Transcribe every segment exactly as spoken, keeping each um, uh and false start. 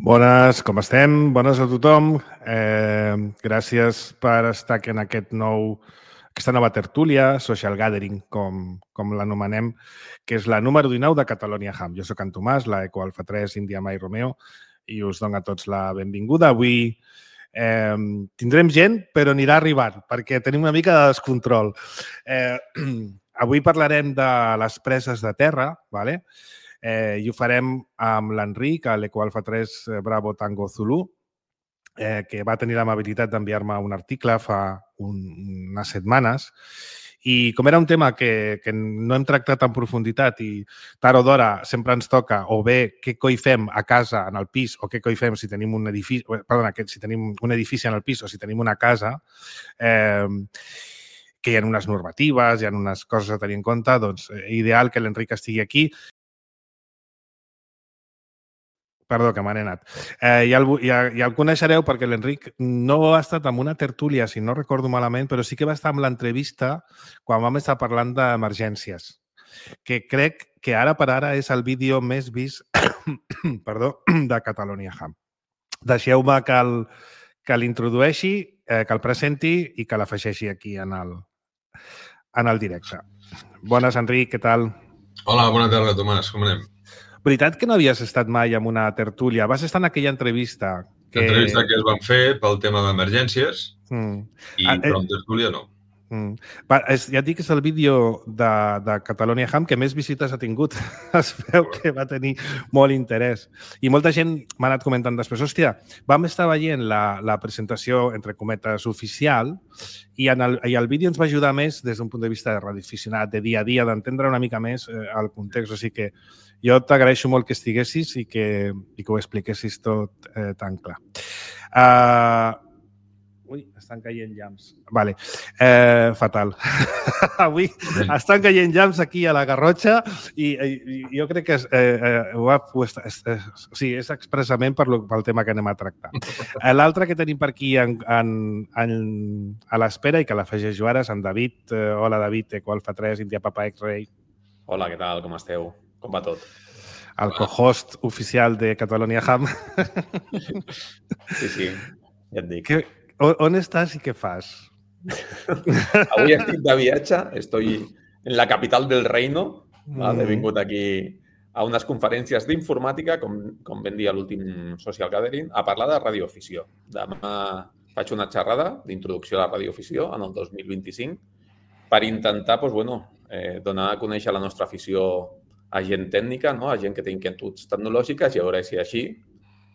Bones, com estem? Bones a tothom. Eh, gràcies per estar aquí en aquest nou, aquesta nova tertúlia, Social Gathering, com, com l'anomenem, que és la número dinou de Catalonia Ham. Jo soc en Tomàs, la Eco Alfa tres, India Mai Romeo, i us dono a tots la benvinguda. Avui eh, tindrem gent, però anirà arribant, perquè tenim una mica de descontrol. Eh, avui parlarem de les preses de terra, ¿vale? Eh, I ho farem amb l'Enric, a l'Eco Alfa tres Bravo Tango Zulu, eh, que va tenir l'amabilitat d'enviar-me un article fa un, unes setmanes. I com era un tema que, que no hem tractat en profunditat i tard o d'hora sempre ens toca o bé què coi fem a casa, en el pis, o què coi fem si tenim un edifici, perdona, si tenim un edifici en el pis o si tenim una casa, eh, que hi ha unes normatives, hi ha unes coses a tenir en compte, doncs ideal que l'Enric estigui aquí. Perdó, que m'han anat. Eh, ja, el, ja, ja el coneixereu perquè l'Enric no ha estat en una tertúlia, si no recordo malament, però sí que va estar en l'entrevista quan vam estar parlant d'emergències, que crec que ara per ara és el vídeo més vist perdó, de Catalonia Ham. Deixeu-me que el, que l'introdueixi, eh, que el presenti i que l'afegeixi aquí en el, en el directe. Bones, Enric, què tal? Hola, bona tarda, Tomàs, com anem? Veritat que no havies estat mai en una tertúlia? Vas estar en aquella entrevista que... L'entrevista que es van fer pel tema d'emergències, mm. i ah, eh... però en tertúlia no. Mm. Va, és, ja et dic que és el vídeo de, de Catalonia Ham que més visites ha tingut. Es veu que va tenir molt interès. I molta gent m'ha anat comentant després, hòstia, vam estar veient la, la presentació, entre cometes, oficial, i, en el, i el vídeo ens va ajudar més des d'un punt de vista de radioaficionat, de dia a dia, d'entendre una mica més eh, el context. O sigui que jo t'agraeixo molt que estiguessis i que, i que ho expliquessis tot eh, tan clar. Uh, Ui, estan caient llamps. Vale. Eh, fatal. Avui estan caient llamps aquí a la Garrotxa i, i, i jo crec que és, eh, eh, ho ha, és, és, o sigui, és expressament per lo, pel tema que anem a tractar. Eh, L'altre que tenim per aquí en, en, en, a l'espera i que l'afegeixo ara és en David. Eh, hola, David, Eco Alfa tres, India Papa X-Ray. Hola, què tal? Com esteu? Com va tot? El co-host oficial de Catalonia Ham. Sí, sí, ja et dic. Que, on estàs i què fas? Avui estic de viatge, estoy en la capital del reino. Mm. He vingut aquí a unes conferències d'informàtica, com, com vam dir a l'últim Social Gathering, a parlar de radioafició. Demà faig una xerrada d'introducció a la radioafició en el dos mil vint-i-cinc per intentar doncs, bueno, eh, donar a conèixer la nostra afició a gent tècnica, no? A gent que té inquietuds tecnològiques i a veure si així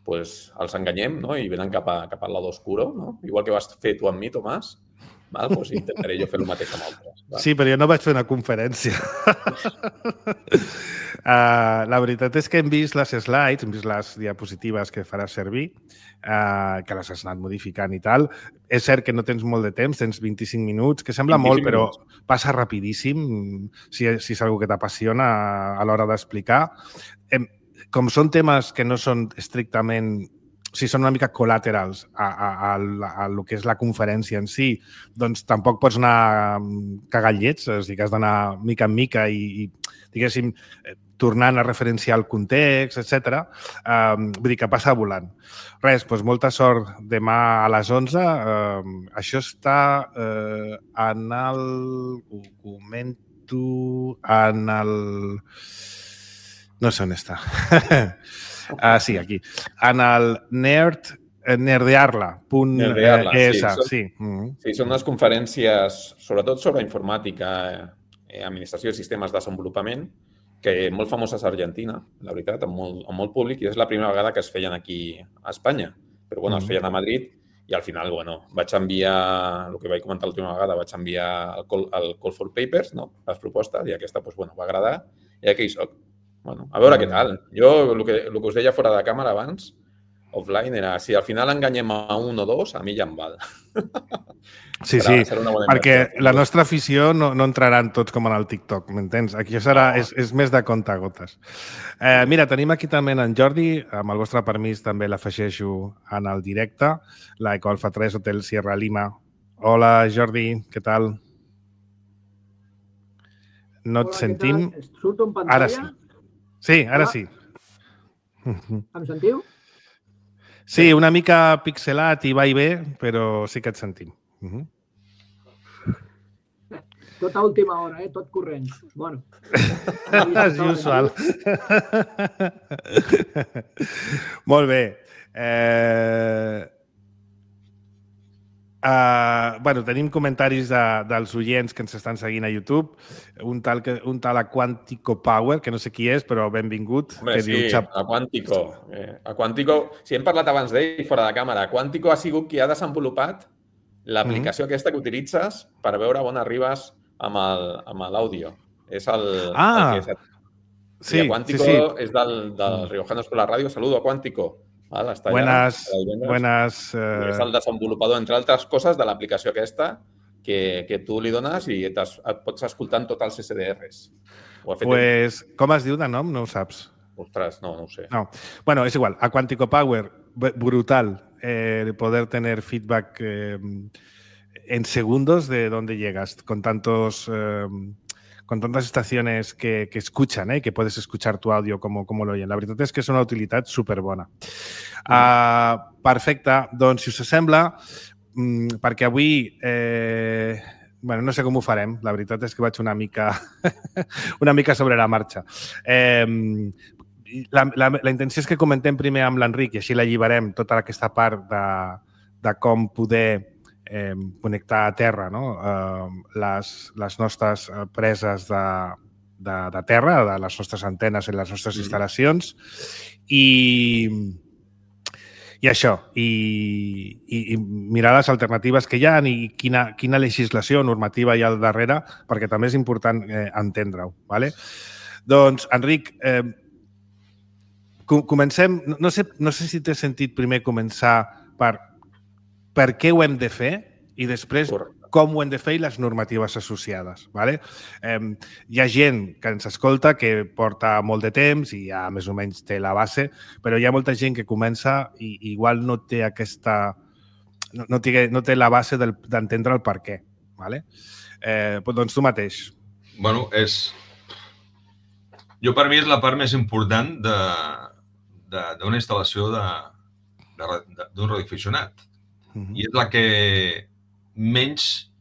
pues, els enganyem, no? I venen cap, a, cap al lado oscuro, no? Igual que vas fer tu amb mi, Tomàs, val? Pues intentaré jo fer el mateix amb altres. Val? Sí, però jo no vaig fer una conferència. uh, la veritat és que hem vist les slides, hem vist les diapositives que faràs servir, uh, que les has anat modificant i tal. És cert que no tens molt de temps, tens vint-i-cinc minuts, que sembla molt, però passa rapidíssim si, si és una que t'apassiona a l'hora d'explicar. Hem, com són temes que no són estrictament, o sigui, són una mica col·laterals a, a, a, a lo que és la conferència en si, doncs tampoc pots anar cagant llets, és a dir, que has d'anar mica en mica i, i diguéssim, tornant a referenciar el context, etcètera. Um, vull dir que passa volant. Res, doncs molta sort demà a les onze. Um, això està uh, en el... Ho comento... En el... No sé on està. ah, sí, aquí. En el nerd, nerdearla punt es. Sí, sí. Mm. Sí, són unes conferències, sobretot sobre informàtica, eh, administració de sistemes de desenvolupament, que molt famoses a Argentina, la veritat, amb molt, amb molt públic, i és la primera vegada que es feien aquí a Espanya. Però, bueno, es feien a Madrid i al final, bueno, vaig enviar, el que vaig comentar l'última vegada, vaig enviar el call, el call for papers, no?, les propostes, i aquesta, doncs, bueno, va agradar, i aquí hi soc. Bueno, a veure què tal. Jo, el que, el que us deia fora de càmera abans, offline, era si al final enganyem a un o dos, a mi ja em val. Sí, sí, perquè la nostra afició no, no entraran tots com en el TikTok, m'entens? Aquí serà, no. és, és més de compte a gotes. Eh, mira, tenim aquí també en Jordi, amb el vostre permís també l'afegeixo en el directe, la Eco Alfa tres Hotel Sierra Lima. Hola, Jordi, què tal? No et Hola, sentim. Surto en pantalla? Ara sí. Sí, ara Hola. Sí. Em sentiu? Sí, una mica pixelat i va i ve, però sí que et sentim. Uh -huh. Tot a última hora, eh? Tot corrent. Bueno. As usual. Molt bé. Eh... Uh, bueno, tenim comentaris de, dels oients que ens estan seguint a YouTube. Un tal, que, un tal a Quantico Power, que no sé qui és, però benvingut. Home, que sí, diu, Xap... a Quantico. Eh, a Quantico, si hem parlat abans d'ell fora de càmera, Quantico ha sigut qui ha desenvolupat l'aplicació mm-hmm. aquesta que utilitzes per veure on arribes amb l'àudio. És el, ah, el que... Sí, I a Quantico sí, sí. és del, del Riojanos por la Radio. Saludo a Quantico. Val, està buenas, allà, buenas... Uh... És el desenvolupador, entre altres coses, de l'aplicació aquesta que, que tu li dones i et, et pots escoltar en tots els S D Rs. Pues, en... com es diu de nom? No ho saps. Ostres, no, no ho sé. No. Bueno, és igual. A Quantico Power, brutal eh, poder tener feedback eh, en segundos de dónde llegas, con tantos... Eh, con tantas estaciones que, que escuchan, eh, que puedes escuchar tu audio como, como lo oyen. La veritat és que és una utilitat superbona. Uh, perfecte. Doncs, si us sembla, mm, perquè avui... Eh, bueno, no sé com ho farem. La veritat és que vaig una mica, una mica sobre la marxa. Eh, la, la, la intenció és que comentem primer amb l'Enric i així l'alliberem tota aquesta part de, de com poder eh, connectar a terra, no? eh, les, les nostres preses de, de, de terra, de les nostres antenes en les nostres instal·lacions i, i això, i, i, i mirar les alternatives que hi ha i quina, quina legislació normativa hi ha al darrere, perquè també és important eh, entendre-ho. Vale? Doncs, Enric, eh, comencem, no sé, no sé si t'he sentit primer començar per per què ho hem de fer i després com ho hem de fer i les normatives associades. Vale? Eh, hi ha gent que ens escolta que porta molt de temps i ja més o menys té la base, però hi ha molta gent que comença i igual no té aquesta... no, no, té, no té la base d'entendre el per què. Vale? Eh, doncs tu mateix. Bueno, és... Jo per mi és la part més important d'una instal·lació d'un radioaficionat. I és la que menys,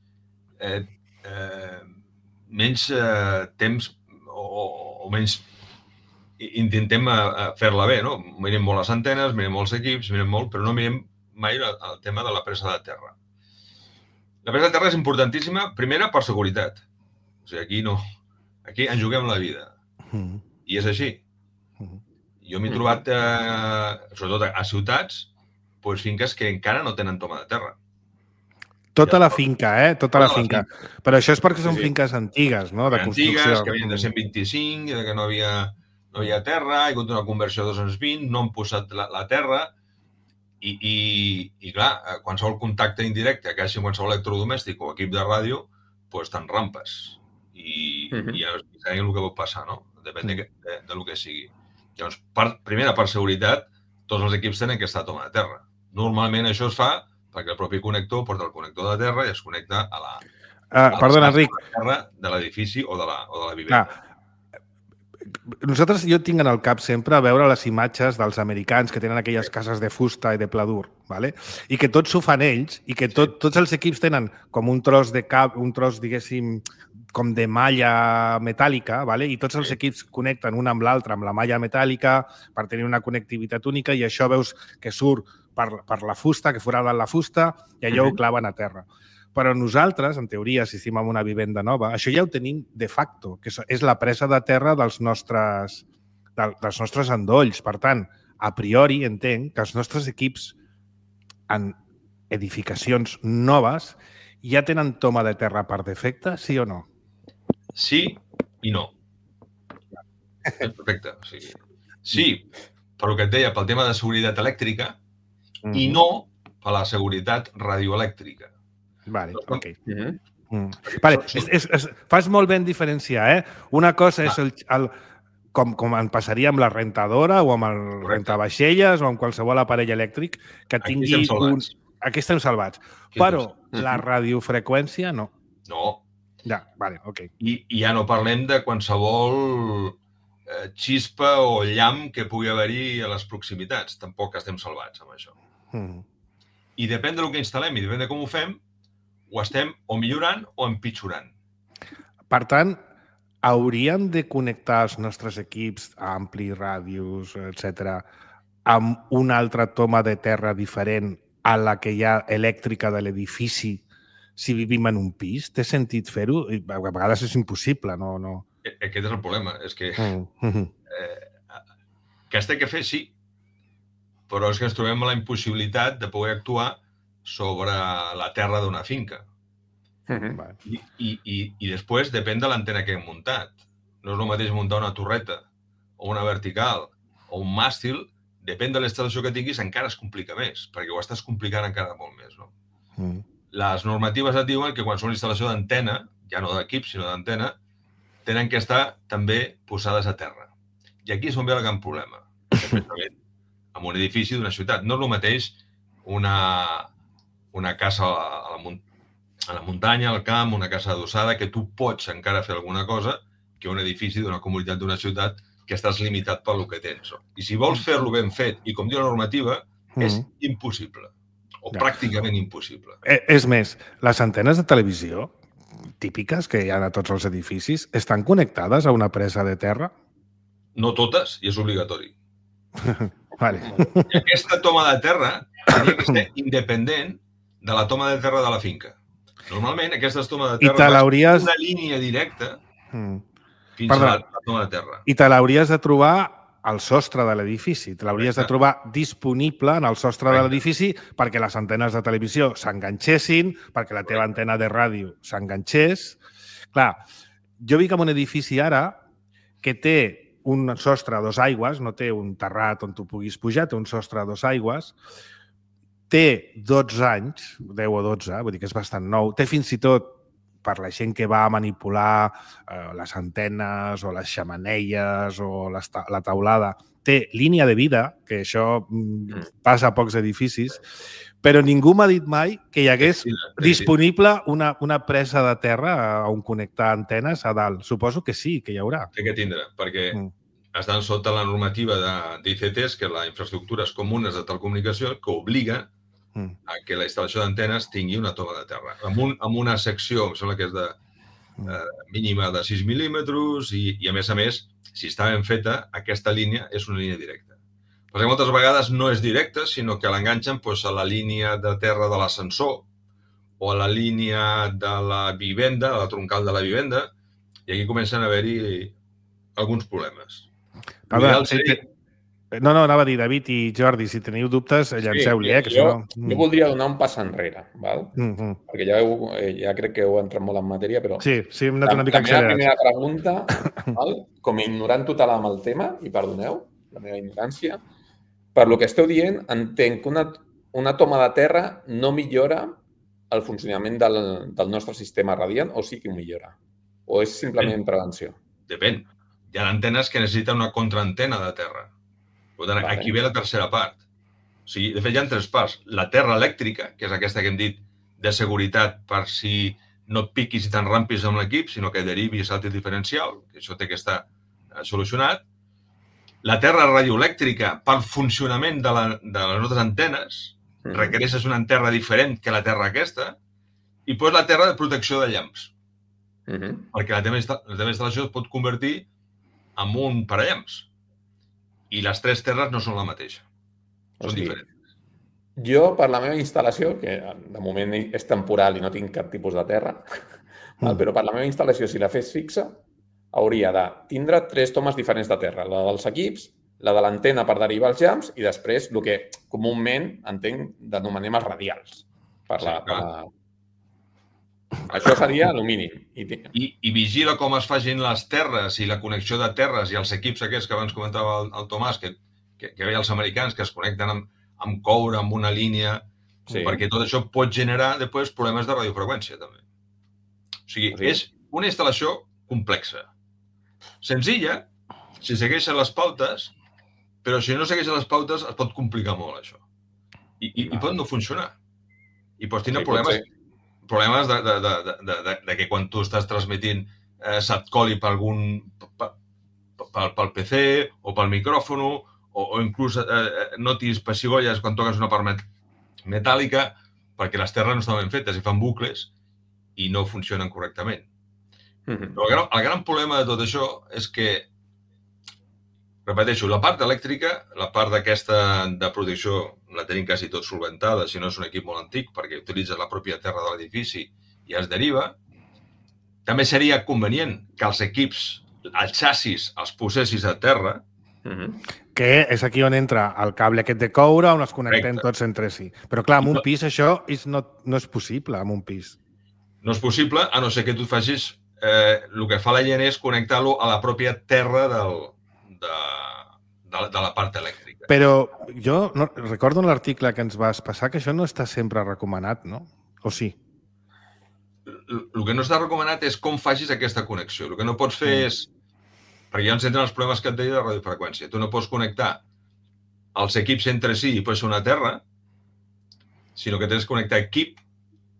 eh, eh, menys eh, temps o, o menys intentem fer-la bé, no? Mirem molt les antenes, mirem molts equips, mirem molt, però no mirem mai el, el tema de la presa de terra. La presa de terra és importantíssima, primera, per seguretat. O sigui, aquí no. Aquí ens juguem la vida. I és així. Jo m'he trobat, eh, sobretot a ciutats, pues finques que encara no tenen toma de terra. Tota la finca, eh? Tota la finca. Però això és perquè són finques antigues, no? De construcció. Antigues, que venien de cent vint-i-cinc, que no havia, no havia terra, hi ha hagut una conversió a dos-cents vint, no han posat la, la terra i, i, i, clar, qualsevol contacte indirecte que hagi qualsevol electrodomèstic o equip de ràdio, doncs te'n rampes. I, uh-huh. i ja sabem el que pot passar, no? Depèn de, de, de lo que sigui. Llavors, per, primera, per seguretat, tots els equips tenen que estar a toma de terra. Normalment això es fa perquè el propi connector porta el connector de terra i es connecta a la, ah, a perdona, Enric. terra de l'edifici o, de la, o de la vivenda. Ah. Nosaltres, jo tinc en el cap sempre a veure les imatges dels americans que tenen aquelles cases de fusta i de pla dur, ¿vale? I que tots ho fan ells i que tot, tots els equips tenen com un tros de cap, un tros, diguéssim, com de malla metàl·lica, ¿vale? I tots els equips connecten un amb l'altre amb la malla metàl·lica per tenir una connectivitat única i això veus que surt per, per la fusta, que foraden la fusta i allò uh-huh. ho claven a terra. Però nosaltres, en teoria, si estem en una vivenda nova, això ja ho tenim de facto, que és la presa de terra dels nostres, dels nostres endolls. Per tant, a priori entenc que els nostres equips en edificacions noves ja tenen toma de terra per defecte, sí o no? Sí i no. Perfecte. O sigui, sí, per el que et deia, pel tema de seguretat elèctrica mm. i no per la seguretat radioelèctrica. Vale, ok. Mm-hmm. Mm. Vale, és, és, és, fas molt ben diferenciar, eh? Una cosa és el, el, com, com en passaria amb la rentadora o amb el rentavaixelles o amb qualsevol aparell elèctric que tingui... Aquí estem salvats. Un... Aquí estem salvats. Aquí Però estem... la radiofreqüència no. No. Ja, vale, ok. I, I ja no parlem de qualsevol eh, xispa o llamp que pugui haver-hi a les proximitats. Tampoc estem salvats amb això. Mm. I depèn del que instal·lem i depèn de com ho fem, ho estem o millorant o empitjorant. Per tant, hauríem de connectar els nostres equips, ampli, ràdios, etcètera, amb una altra toma de terra diferent a la que hi ha elèctrica de l'edifici si vivim en un pis? Té sentit fer-ho? A vegades és impossible, no? no. Aquest és el problema, és que mm. eh, que es té que fer, sí, però és que ens trobem la impossibilitat de poder actuar sobre la terra d'una finca. Mm-hmm. I, i, i, I després depèn de l'antena que hem muntat. No és el mateix muntar una torreta o una vertical o un màstil, depèn de l'instal·lació que tinguis, encara es complica més, perquè ho estàs complicant encara molt més. No? Mm. Les normatives et diuen que quan són instal·lació d'antena, ja no d'equip, sinó d'antena, tenen que estar també posades a terra. I aquí és on ve el gran problema. Especialment en un edifici d'una ciutat. No és el mateix una, una casa a la, a la muntanya, al camp, una casa adossada, que tu pots encara fer alguna cosa, que un edifici d'una comunitat d'una ciutat que estàs limitat pel que tens. I si vols fer-lo ben fet, i com diu la normativa, mm. és impossible. O ja. pràcticament impossible. És més, les antenes de televisió típiques que hi ha a tots els edificis estan connectades a una presa de terra? No totes, i és obligatori. Vale. I aquesta toma de terra hauria que ser independent de la toma de terra de la finca. Normalment, aquestes tomes de terra van una línia directa mm. fins Perdó. a la toma de terra. I te l'hauries de trobar al sostre de l'edifici. Te l'hauries de trobar disponible en el sostre Correcte. de l'edifici perquè les antenes de televisió s'enganxessin, perquè la teva Correcte. antena de ràdio s'enganxés. Clar, jo vic en un edifici ara que té un sostre a dos aigües, no té un terrat on tu puguis pujar, té un sostre a dos aigües, té dotze anys, deu o dotze, vull dir que és bastant nou, té fins i tot, per la gent que va a manipular eh, les antenes o les xemeneies o les ta la taulada, té línia de vida, que això mm, passa a pocs edificis, però ningú m'ha dit mai que hi hagués sí, sí, disponible una, una presa de terra on connectar antenes a dalt. Suposo que sí, que hi haurà. Té que tindre, perquè mm. estan sota la normativa d'I C Ts, que és la infraestructures comunes de telecomunicació, que obliga mm. a que la instal·lació d'antenes tingui una toma de terra. Amb, un, amb una secció, em sembla que és de eh, mínima de sis mil·límetres i, i, a més a més, si està ben feta, aquesta línia és una línia directa. Perquè moltes vegades no és directe, sinó que l'enganxen doncs, a la línia de terra de l'ascensor o a la línia de la vivenda, a la troncal de la vivenda, i aquí comencen a haver-hi alguns problemes. Veure, sí, seria... No, no, anava a dir, David i Jordi, si teniu dubtes, llanceu-li. Sí, eh, que jo, no... jo voldria donar un pas enrere, val? Mm -hmm. perquè ja, heu, ja crec que heu entrat molt en matèria, però... Sí, sí, hem anat una mica accelerats. La meva primera pregunta, val? Com a ignorant total amb el tema, i perdoneu la meva ignorància, per lo que esteu dient, entenc que una, una toma de terra no millora el funcionament del, del nostre sistema radiant, o sí que ho millora? O és simplement Depèn. prevenció? Depèn. Hi ha antenes que necessiten una contraantena de terra. Per tant, vale. Aquí ve la tercera part. O sigui, de fet, hi ha tres parts. La terra elèctrica, que és aquesta que hem dit de seguretat per si no et piquis i te'n rampis amb l'equip, sinó que derivi i salti el diferencial, que això té que estar solucionat. La terra radioelèctrica, pel funcionament de, la, de les nostres antenes, mm. requereixes una terra diferent que la terra aquesta, i després la terra de protecció de llamps. Mm -hmm. Perquè la teva, la teva instal·lació es pot convertir en un parallamps. I les tres terres no són la mateixa. Són o sigui, diferents. Jo, per la meva instal·lació, que de moment és temporal i no tinc cap tipus de terra, mm. però per la meva instal·lació, si la fes fixa, hauria de tindre tres tomes diferents de terra. La dels equips, la de l'antena per derivar els llamps i després el que comúment entenc denomenem els radials. Per la, sí, per la... Això seria el mínim. I, I, I vigila com es facin les terres i la connexió de terres i els equips aquests que abans comentava el, el Tomàs, que, que, que veia els americans que es connecten amb, amb coure, amb una línia, sí. perquè tot això pot generar després problemes de radiofreqüència també. O sigui, sí. és una instal·lació complexa. Senzilla, si segueixen les pautes, però si no segueixen les pautes es pot complicar molt això. I, i, i pot no funcionar. I pots tenir sí, problemes, problemes de, de, de, de, de, de que quan tu estàs transmitint eh, se't coli per algun, per, pel, pel P C o pel micròfon o, o inclús eh, notis pessigolles quan toques una part met metàl·lica perquè les terres no estan ben fetes i fan bucles i no funcionen correctament. Mhm. Però el gran, el gran problema de tot això és que, repeteixo, la part elèctrica, la part d'aquesta de protecció la tenim quasi tot solventada, si no és un equip molt antic, perquè utilitza la pròpia terra de l'edifici i es deriva. També seria convenient que els equips, els xassis, els posessis a terra. Mhm. Que és aquí on entra el cable aquest de coure on es connectem Correcte. tots entre si. Però clar, en I un no- pis això és no, no és possible, en un pis. No és possible, a no ser que tu facis... Eh, el que fa la gent és connectar-lo a la pròpia terra del, de, de, de la part elèctrica. Però jo no, recordo en l'article que ens vas passar que això no està sempre recomanat, no? O sí? El que no està recomanat és com facis aquesta connexió. El que no pots fer Mm. és... Perquè ja ens entren els problemes que et deia de radiofreqüència. Tu no pots connectar els equips entre si i pots ser una terra, sinó que tens que connectar equip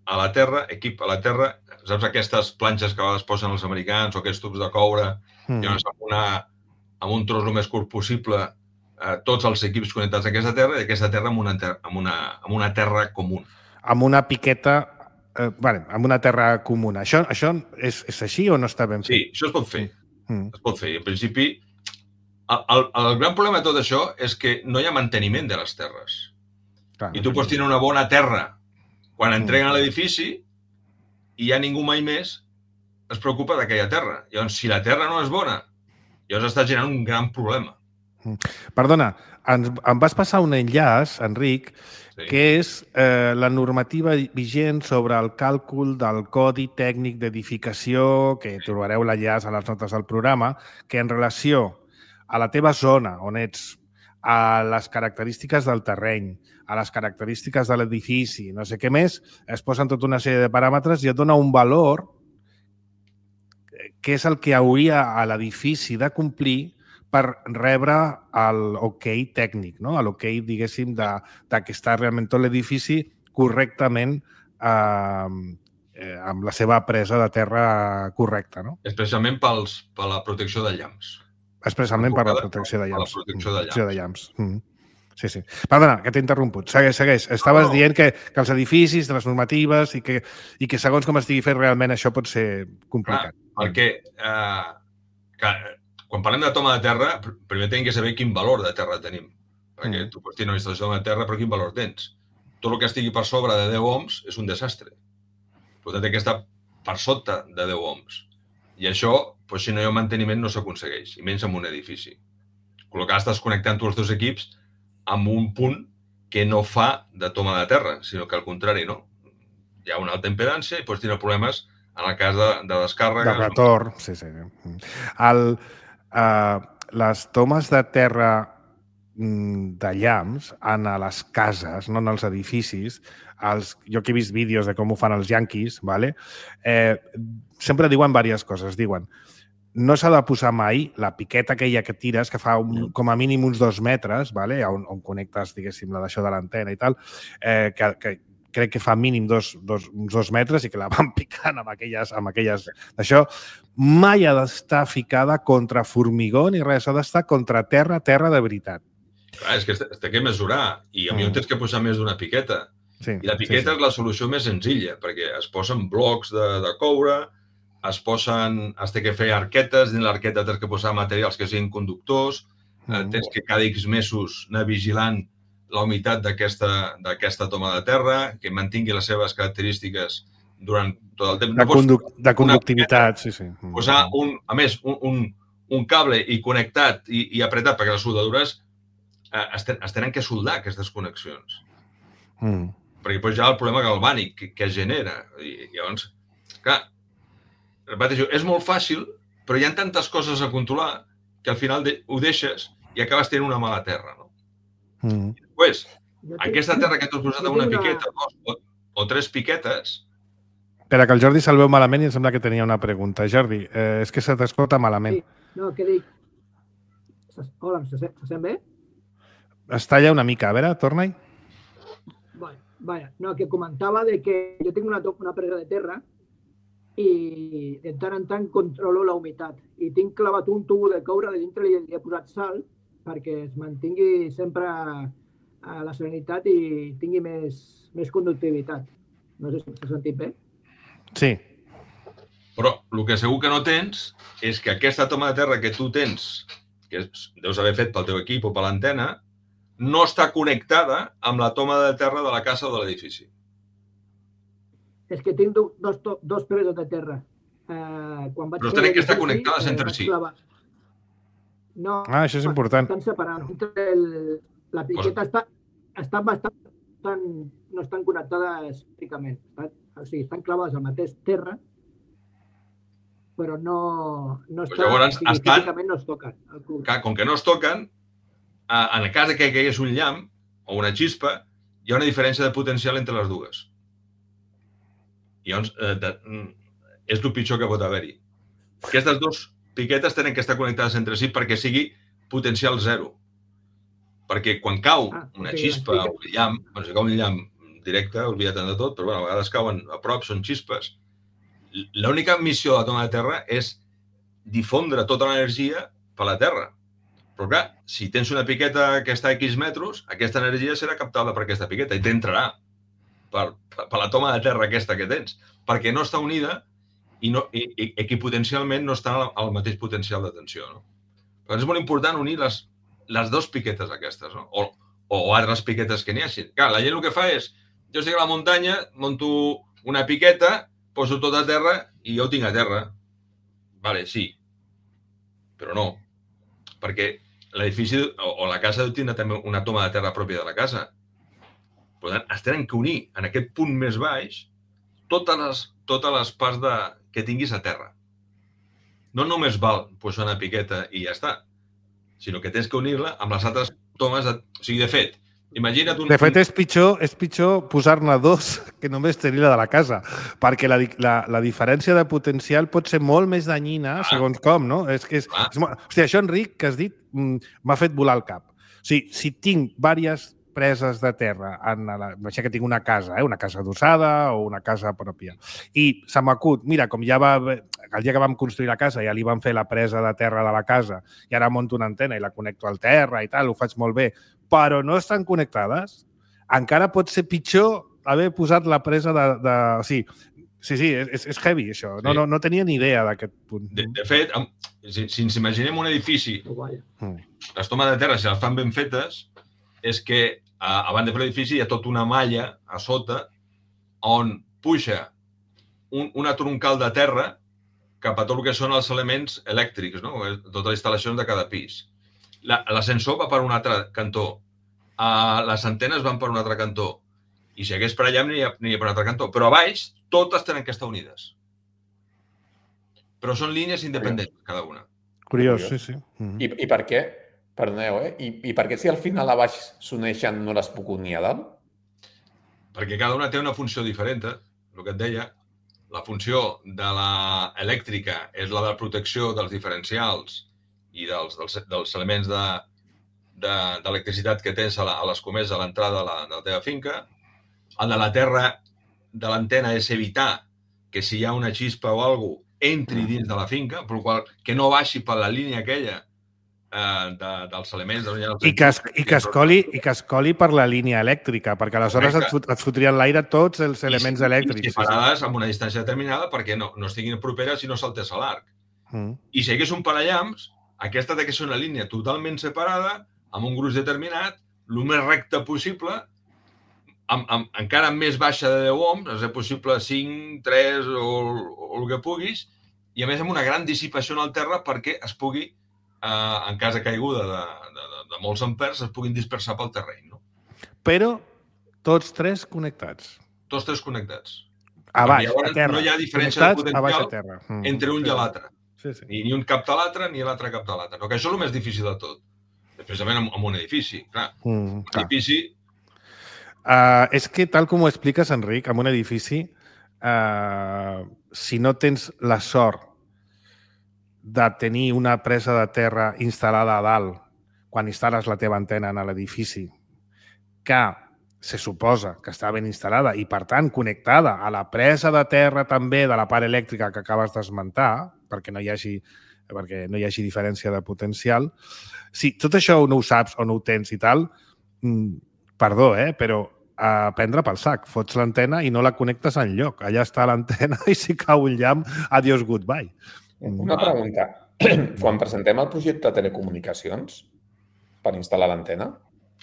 a la terra, equip a la terra. Saps aquestes planxes que a vegades posen els americans o aquests tubs de coure, Mm. llavors amb, una, amb un tros el més curt possible, eh, tots els equips connectats a aquesta terra i aquesta terra amb una, ter amb una, amb una terra comuna. Amb una piqueta... Eh, vale, amb una terra comuna. Això, això és, és així o no està ben fet? Sí, això es pot fer. Mm. Es pot fer. I en principi, el, el, el gran problema de tot això és que no hi ha manteniment de les terres. Clar. I tu pots tenir una bona terra quan Mm. entreguen a l'edifici i ja ningú mai més es preocupa d'aquella terra. Llavors, si la terra no és bona, llavors està generant un gran problema. Perdona, ens, em vas passar un enllaç, Enric, Sí. que és eh, la normativa vigent sobre el càlcul del codi tècnic d'edificació, que trobareu l'enllaç a les notes del programa, que en relació a la teva zona on ets, a les característiques del terreny, a les característiques de l'edifici, no sé què més, es posen tota una sèrie de paràmetres i et dona un valor que és el que hauria a l'edifici de complir per rebre l'ok tècnic, no? l'ok, diguéssim, de, de que està realment tot l'edifici correctament eh, eh, amb la seva presa de terra correcta, no? Especialment pels, per la protecció de llamps. Expressament per la Enfocada protecció de per la llamps. protecció de Protecció de llamps. Mm. Sí, sí. Perdona, que t'he interromput. Segueix, segueix. Estaves No. dient que, que els edificis, de les normatives i que, i que segons com estigui fet realment això pot ser complicat. Clar, perquè eh, que, quan parlem de toma de terra, pr- primer tenim que saber quin valor de terra tenim. Perquè Mm. tu pots tenir una instal·lació de terra, però quin valor tens? Tot el que estigui per sobre de deu ohms és un desastre. Per tant, té que estar per sota de deu ohms. I això, doncs, si no hi ha manteniment, no s'aconsegueix, i menys en un edifici. Amb la qual cosa estàs connectant tu els dos equips amb un punt que no fa de toma de terra, sinó que al contrari, no? Hi ha una alta impedància i pots tenir problemes en el cas de, de descàrregues. De retorn, sí, sí. El, uh, les tomes de terra mm, de llamps en a les cases, no en els edificis, els, jo que he vist vídeos de com ho fan els yanquis, vale? eh, sempre diuen diverses coses. Diuen, no s'ha de posar mai la piqueta aquella que tires, que fa un, com a mínim uns dos metres, vale? on, on connectes, diguéssim, la d'això de l'antena i tal, eh, que, que crec que fa mínim dos, dos, uns dos metres i que la van picant amb aquelles... Amb aquelles d'això, mai ha d'estar ficada contra formigó ni res, ha d'estar contra terra, terra de veritat. Clar, és que es té que mesurar i a mi Mm. no tens que posar més d'una piqueta. Sí, I la piqueta sí, és la solució més senzilla, perquè es posen blocs de, de coure, es posen, es té que fer arquetes, dins l'arqueta tens que posar materials que siguin conductors, sí. eh, tens que cada X mesos anar vigilant la humitat d'aquesta d'aquesta toma de terra, que mantingui les seves característiques durant tot el temps. De, No pots conduc de conductivitat, sí, sí. posar, un, a més, un, un, un cable i connectat i, i apretat, perquè les soldadures eh, es, ten, es tenen que soldar, aquestes connexions. Mm. Perquè després hi ha el problema galvànic que, que es genera. I, i llavors, clar, repeteixo, és molt fàcil, però hi ha tantes coses a controlar que al final de, ho deixes i acabes tenint una mala terra. No? Mm. Després, Jo tinc- aquesta terra que tu has posat jo amb una tinc una- piqueta dos, o, o tres piquetes, Espera, que el Jordi se'l veu malament i em sembla que tenia una pregunta. Jordi, eh, és que se t'escolta malament. Sí, no, què dic? Se- Hola, se, se, se sent bé? Es talla una mica. A veure, torna-hi. Vale, vale. No, que comentava de que jo tinc una, to- una presa de terra i de tant en tant controlo la humitat. I tinc clavat un tubo de coure de dintre i li he posat sal perquè es mantingui sempre a la serenitat i tingui més, més conductivitat. No sé si s'ha sentit bé. Sí. Però el que segur que no tens és que aquesta toma de terra que tu tens, que deus haver fet pel teu equip o per l'antena, no està connectada amb la toma de terra de la casa o de l'edifici. És que tinc dos, dos presos de terra. Uh, quan vaig Però tenen que estar connectades entre si. No, ah, això és important. Estan separant. El, la piqueta pues... està, està bastant, estan, no estan connectades físicament. O sigui, estan clavades al mateix terra, però no, no pues estan, llavors, estan, físicament no es toquen. Que, com que no es toquen, en el cas que caigués un llamp o una xispa, hi ha una diferència de potencial entre les dues. I llavors, eh, de, és el pitjor que pot haver-hi. Aquestes dues piquetes tenen que estar connectades entre si perquè sigui potencial zero. Perquè quan cau ah, una sí, xispa o un llamp, bueno, si cau un llamp directe, oblida't de tot, però bueno, a vegades cauen a prop, són xispes. L'única missió de la toma de terra és difondre tota l'energia per la terra. Però clar, si tens una piqueta que està a X metres, aquesta energia serà captada per aquesta piqueta i t'entrarà per, per, per la toma de terra aquesta que tens, perquè no està unida i, no, i, i, i que potencialment no està al mateix potencial de tensió. No? Però és molt important unir les, les dues piquetes aquestes, no? o, o altres piquetes que n'hi hagi. Clar, la gent el que fa és, jo estic a la muntanya, monto una piqueta, poso tot a terra i jo ho tinc a terra. Vale, sí, però no, perquè l'edifici o, o la casa tindrà també una toma de terra pròpia de la casa. Per tant, es tenen que unir en aquest punt més baix totes les, totes les parts de, que tinguis a terra. No només val posar una piqueta i ja està, sinó que tens que unir-la amb les altres tomes. De... O sigui, de fet, imagina't un... De fet, és pitjor, és pitjor posar-ne dos que només tenir la de la casa, perquè la, la, la diferència de potencial pot ser molt més danyina, ah. segons com, no? És que és, ah. és, hòstia, això, Enric, que has dit, m'ha fet volar el cap. O sigui, si tinc diverses preses de terra, en la, que tinc una casa, eh? una casa adossada o una casa pròpia, i se m'acut, mira, com ja va, el dia que vam construir la casa ja li vam fer la presa de terra de la casa i ara monto una antena i la connecto al terra i tal, ho faig molt bé, però no estan connectades, encara pot ser pitjor haver posat la presa de... de o sigui, sí, sí, és, és heavy, això. No, sí. no, no tenia ni idea d'aquest punt. De, de fet, si, si ens imaginem un edifici, mm. les tomes de terra, si les fan ben fetes, és que a, a banda de l'edifici hi ha tota una malla a sota on puja un, una troncal de terra cap a tot el que són els elements elèctrics, no? Totes les instal·lacions de cada pis. L'ascensor va per un altre cantó, uh, les antenes van per un altre cantó, i si hagués per allà aniria, aniria per un altre cantó. Però a baix totes tenen que estar unides. Però són línies independents, cada una. Curiós, sí, sí. Mm-hmm. I, I per què? Perdoneu, eh? I, I per què si al final a baix s'uneixen no les puc unir a dalt? Perquè cada una té una funció diferent, eh? El que et deia. La funció de l'elèctrica és la de protecció dels diferencials i dels, dels, dels elements d'electricitat de, de, que tens a, la, a les comeses a l'entrada de, la, de la teva finca. El de la terra de l'antena és evitar que si hi ha una xispa o alguna cosa entri dins de la finca, per qual que no baixi per la línia aquella eh, de, dels elements. De I, que es, i, que es coli, I que es coli per la línia elèctrica, perquè aleshores et, fot, et fotrien l'aire tots els elements I, elèctrics. I separades amb una distància determinada perquè no, no estiguin properes i no saltés a l'arc. Mm. I si hi hagués un parallamps, aquesta té que ser una línia totalment separada, amb un gruix determinat, el més recte possible, amb, amb, encara més baixa de deu ohms, és possible cinc, tres o, o el que puguis, i a més amb una gran dissipació en el terra perquè es pugui, eh, en cas de caiguda de, de, de, de molts ampers, es puguin dispersar pel terreny. No? Però tots tres connectats. Tots tres connectats. A baix, a terra. No hi ha diferència de potencial terra. Mm. entre un sí. i l'altre. Sí, sí. Ni, ni un capta l'altre, ni l'altre capta l'altre. No, que això és el més difícil de tot. Especialment amb, amb un edifici. Clar, mm, un clar. edifici... Uh, és que, tal com ho expliques, Enric, amb un edifici, uh, si no tens la sort de tenir una presa de terra instal·lada a dalt quan instal·les la teva antena en l'edifici, que se suposa que està ben instal·lada i, per tant, connectada a la presa de terra també de la part elèctrica que acabes d'esmentar, perquè no hi hagi perquè no hi hagi diferència de potencial. Si tot això no ho saps o no ho tens i tal, perdó, eh, però a prendre pel sac. Fots l'antena i no la connectes enlloc. Allà està l'antena i si cau un llamp, adiós, goodbye. Una pregunta. Quan presentem el projecte de telecomunicacions per instal·lar l'antena,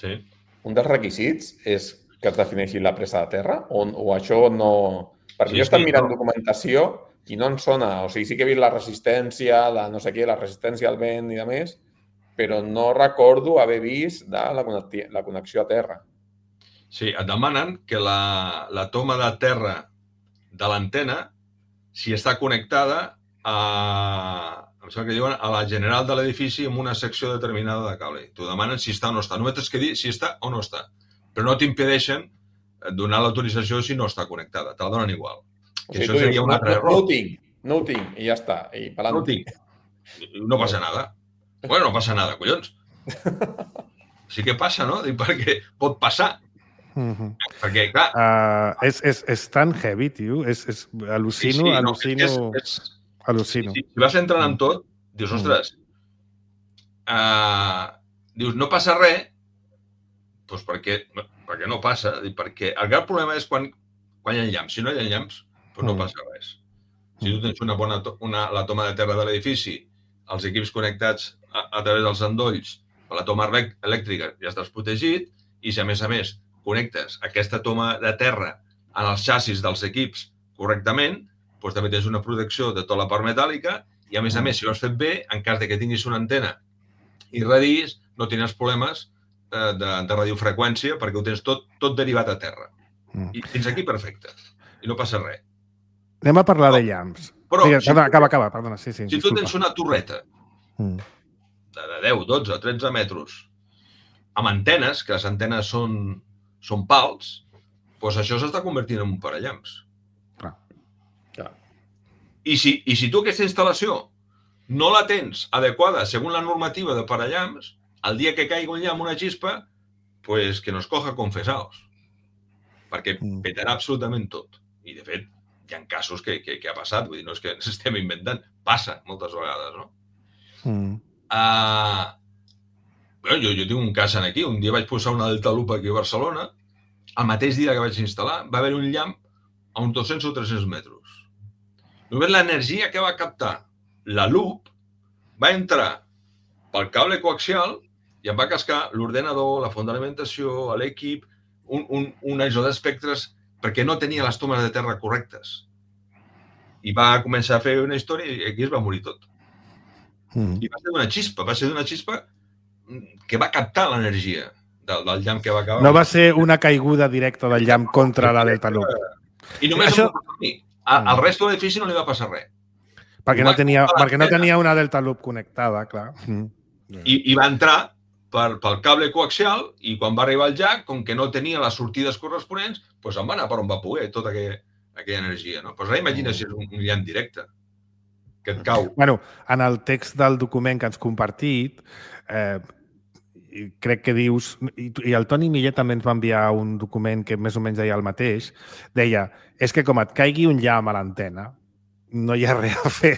sí. Un dels requisits és que es defineixi la presa de terra o, o això no... Perquè sí, jo estic mirant no. documentació i no em sona. O sigui, sí que he vist la resistència, la no sé què, la resistència al vent i de més, però no recordo haver vist de la, la connexió a terra. Sí, et demanen que la, la toma de terra de l'antena, si està connectada a, em sembla que diuen, a la general de l'edifici amb una secció determinada de cable. T'ho demanen si està o no està. Només tens que dir si està o no està. Però no t'impedeixen donar l'autorització si no està connectada. Te la donen igual. O sigui, això seria dius, un altre no, error. No ho tinc, no ho tinc, i ja està. I no ho tinc. No passa nada. Bueno, no passa nada, collons. Sí que passa, no? Perquè pot passar. Uh-huh. Perquè, clar... Uh, és, és, és tan heavy, tio. És, és, al·lucino, sí, sí, al·lucino... No, és, és... Al·lucino. Si, si vas entrant en tot, dius, ostres, uh, dius, no passa res, doncs perquè, perquè no passa, perquè el gran problema és quan, quan hi ha llamps. Si no hi ha llamps, doncs no passa res. Si tu tens una bona una, la toma de terra de l'edifici, els equips connectats a, a través dels endolls, a la toma elèctrica ja estàs protegit, i si a més a més connectes aquesta toma de terra en els xassis dels equips correctament, doncs també tens una protecció de tota la part metàl·lica i, a més a més, si ho has fet bé, en cas de que tinguis una antena i radis, no tindràs problemes de, de, de radiofreqüència perquè ho tens tot, tot derivat a terra. I fins aquí perfecte. I no passa res. Anem a parlar però, de llamps. Però, Digue, si acaba, acaba, acaba, perdona. Sí, sí, si disculpa. tu tens una torreta mm. de, de deu, dotze, tretze metres amb antenes, que les antenes són, són pals, doncs això s'està convertint en un parallamps. Clar. I si, I si tu aquesta instal·lació no la tens adequada segons la normativa de parallamps, el dia que caigui un llamp, una xispa, pues que nos coja confesados. Perquè petarà absolutament tot. I, de fet, hi ha casos que, que, que ha passat. Vull dir, no és que ens estem inventant. Passa moltes vegades, no? Mm. Uh, bueno, jo, jo tinc un cas aquí. Un dia vaig posar una Delta Loop aquí a Barcelona. El mateix dia que vaig instal·lar va haver un llamp a uns dos-cents o tres-cents metres. Només l'energia que va captar la loop va entrar pel cable coaxial i em va cascar l'ordenador, la font d'alimentació, l'equip, un, un, un aïsó d'espectres perquè no tenia les tomes de terra correctes. I va començar a fer una història i aquí es va morir tot. Mm. I va ser d'una xispa, va ser d'una xispa que va captar l'energia del, del llamp que va acabar. No va ser una caiguda directa del llamp contra la Delta Loop. I només això... em va passar a mi. Al resto de l'edifici no li va passar res. Perquè no tenia, perquè no tenia una Delta Loop connectada, clar. Mm. I, I va entrar per, pel cable coaxial i quan va arribar al jack, com que no tenia les sortides corresponents, doncs em va anar per on va poder tota aquella, aquella energia. No? Pues ara imagina si és un, un llamp directe que et cau. Bueno, en el text del document que ens compartit, eh, crec que dius, i el Toni Millet també ens va enviar un document que més o menys deia el mateix, deia, és que com et caigui un llamp a l'antena, no hi ha res a fer.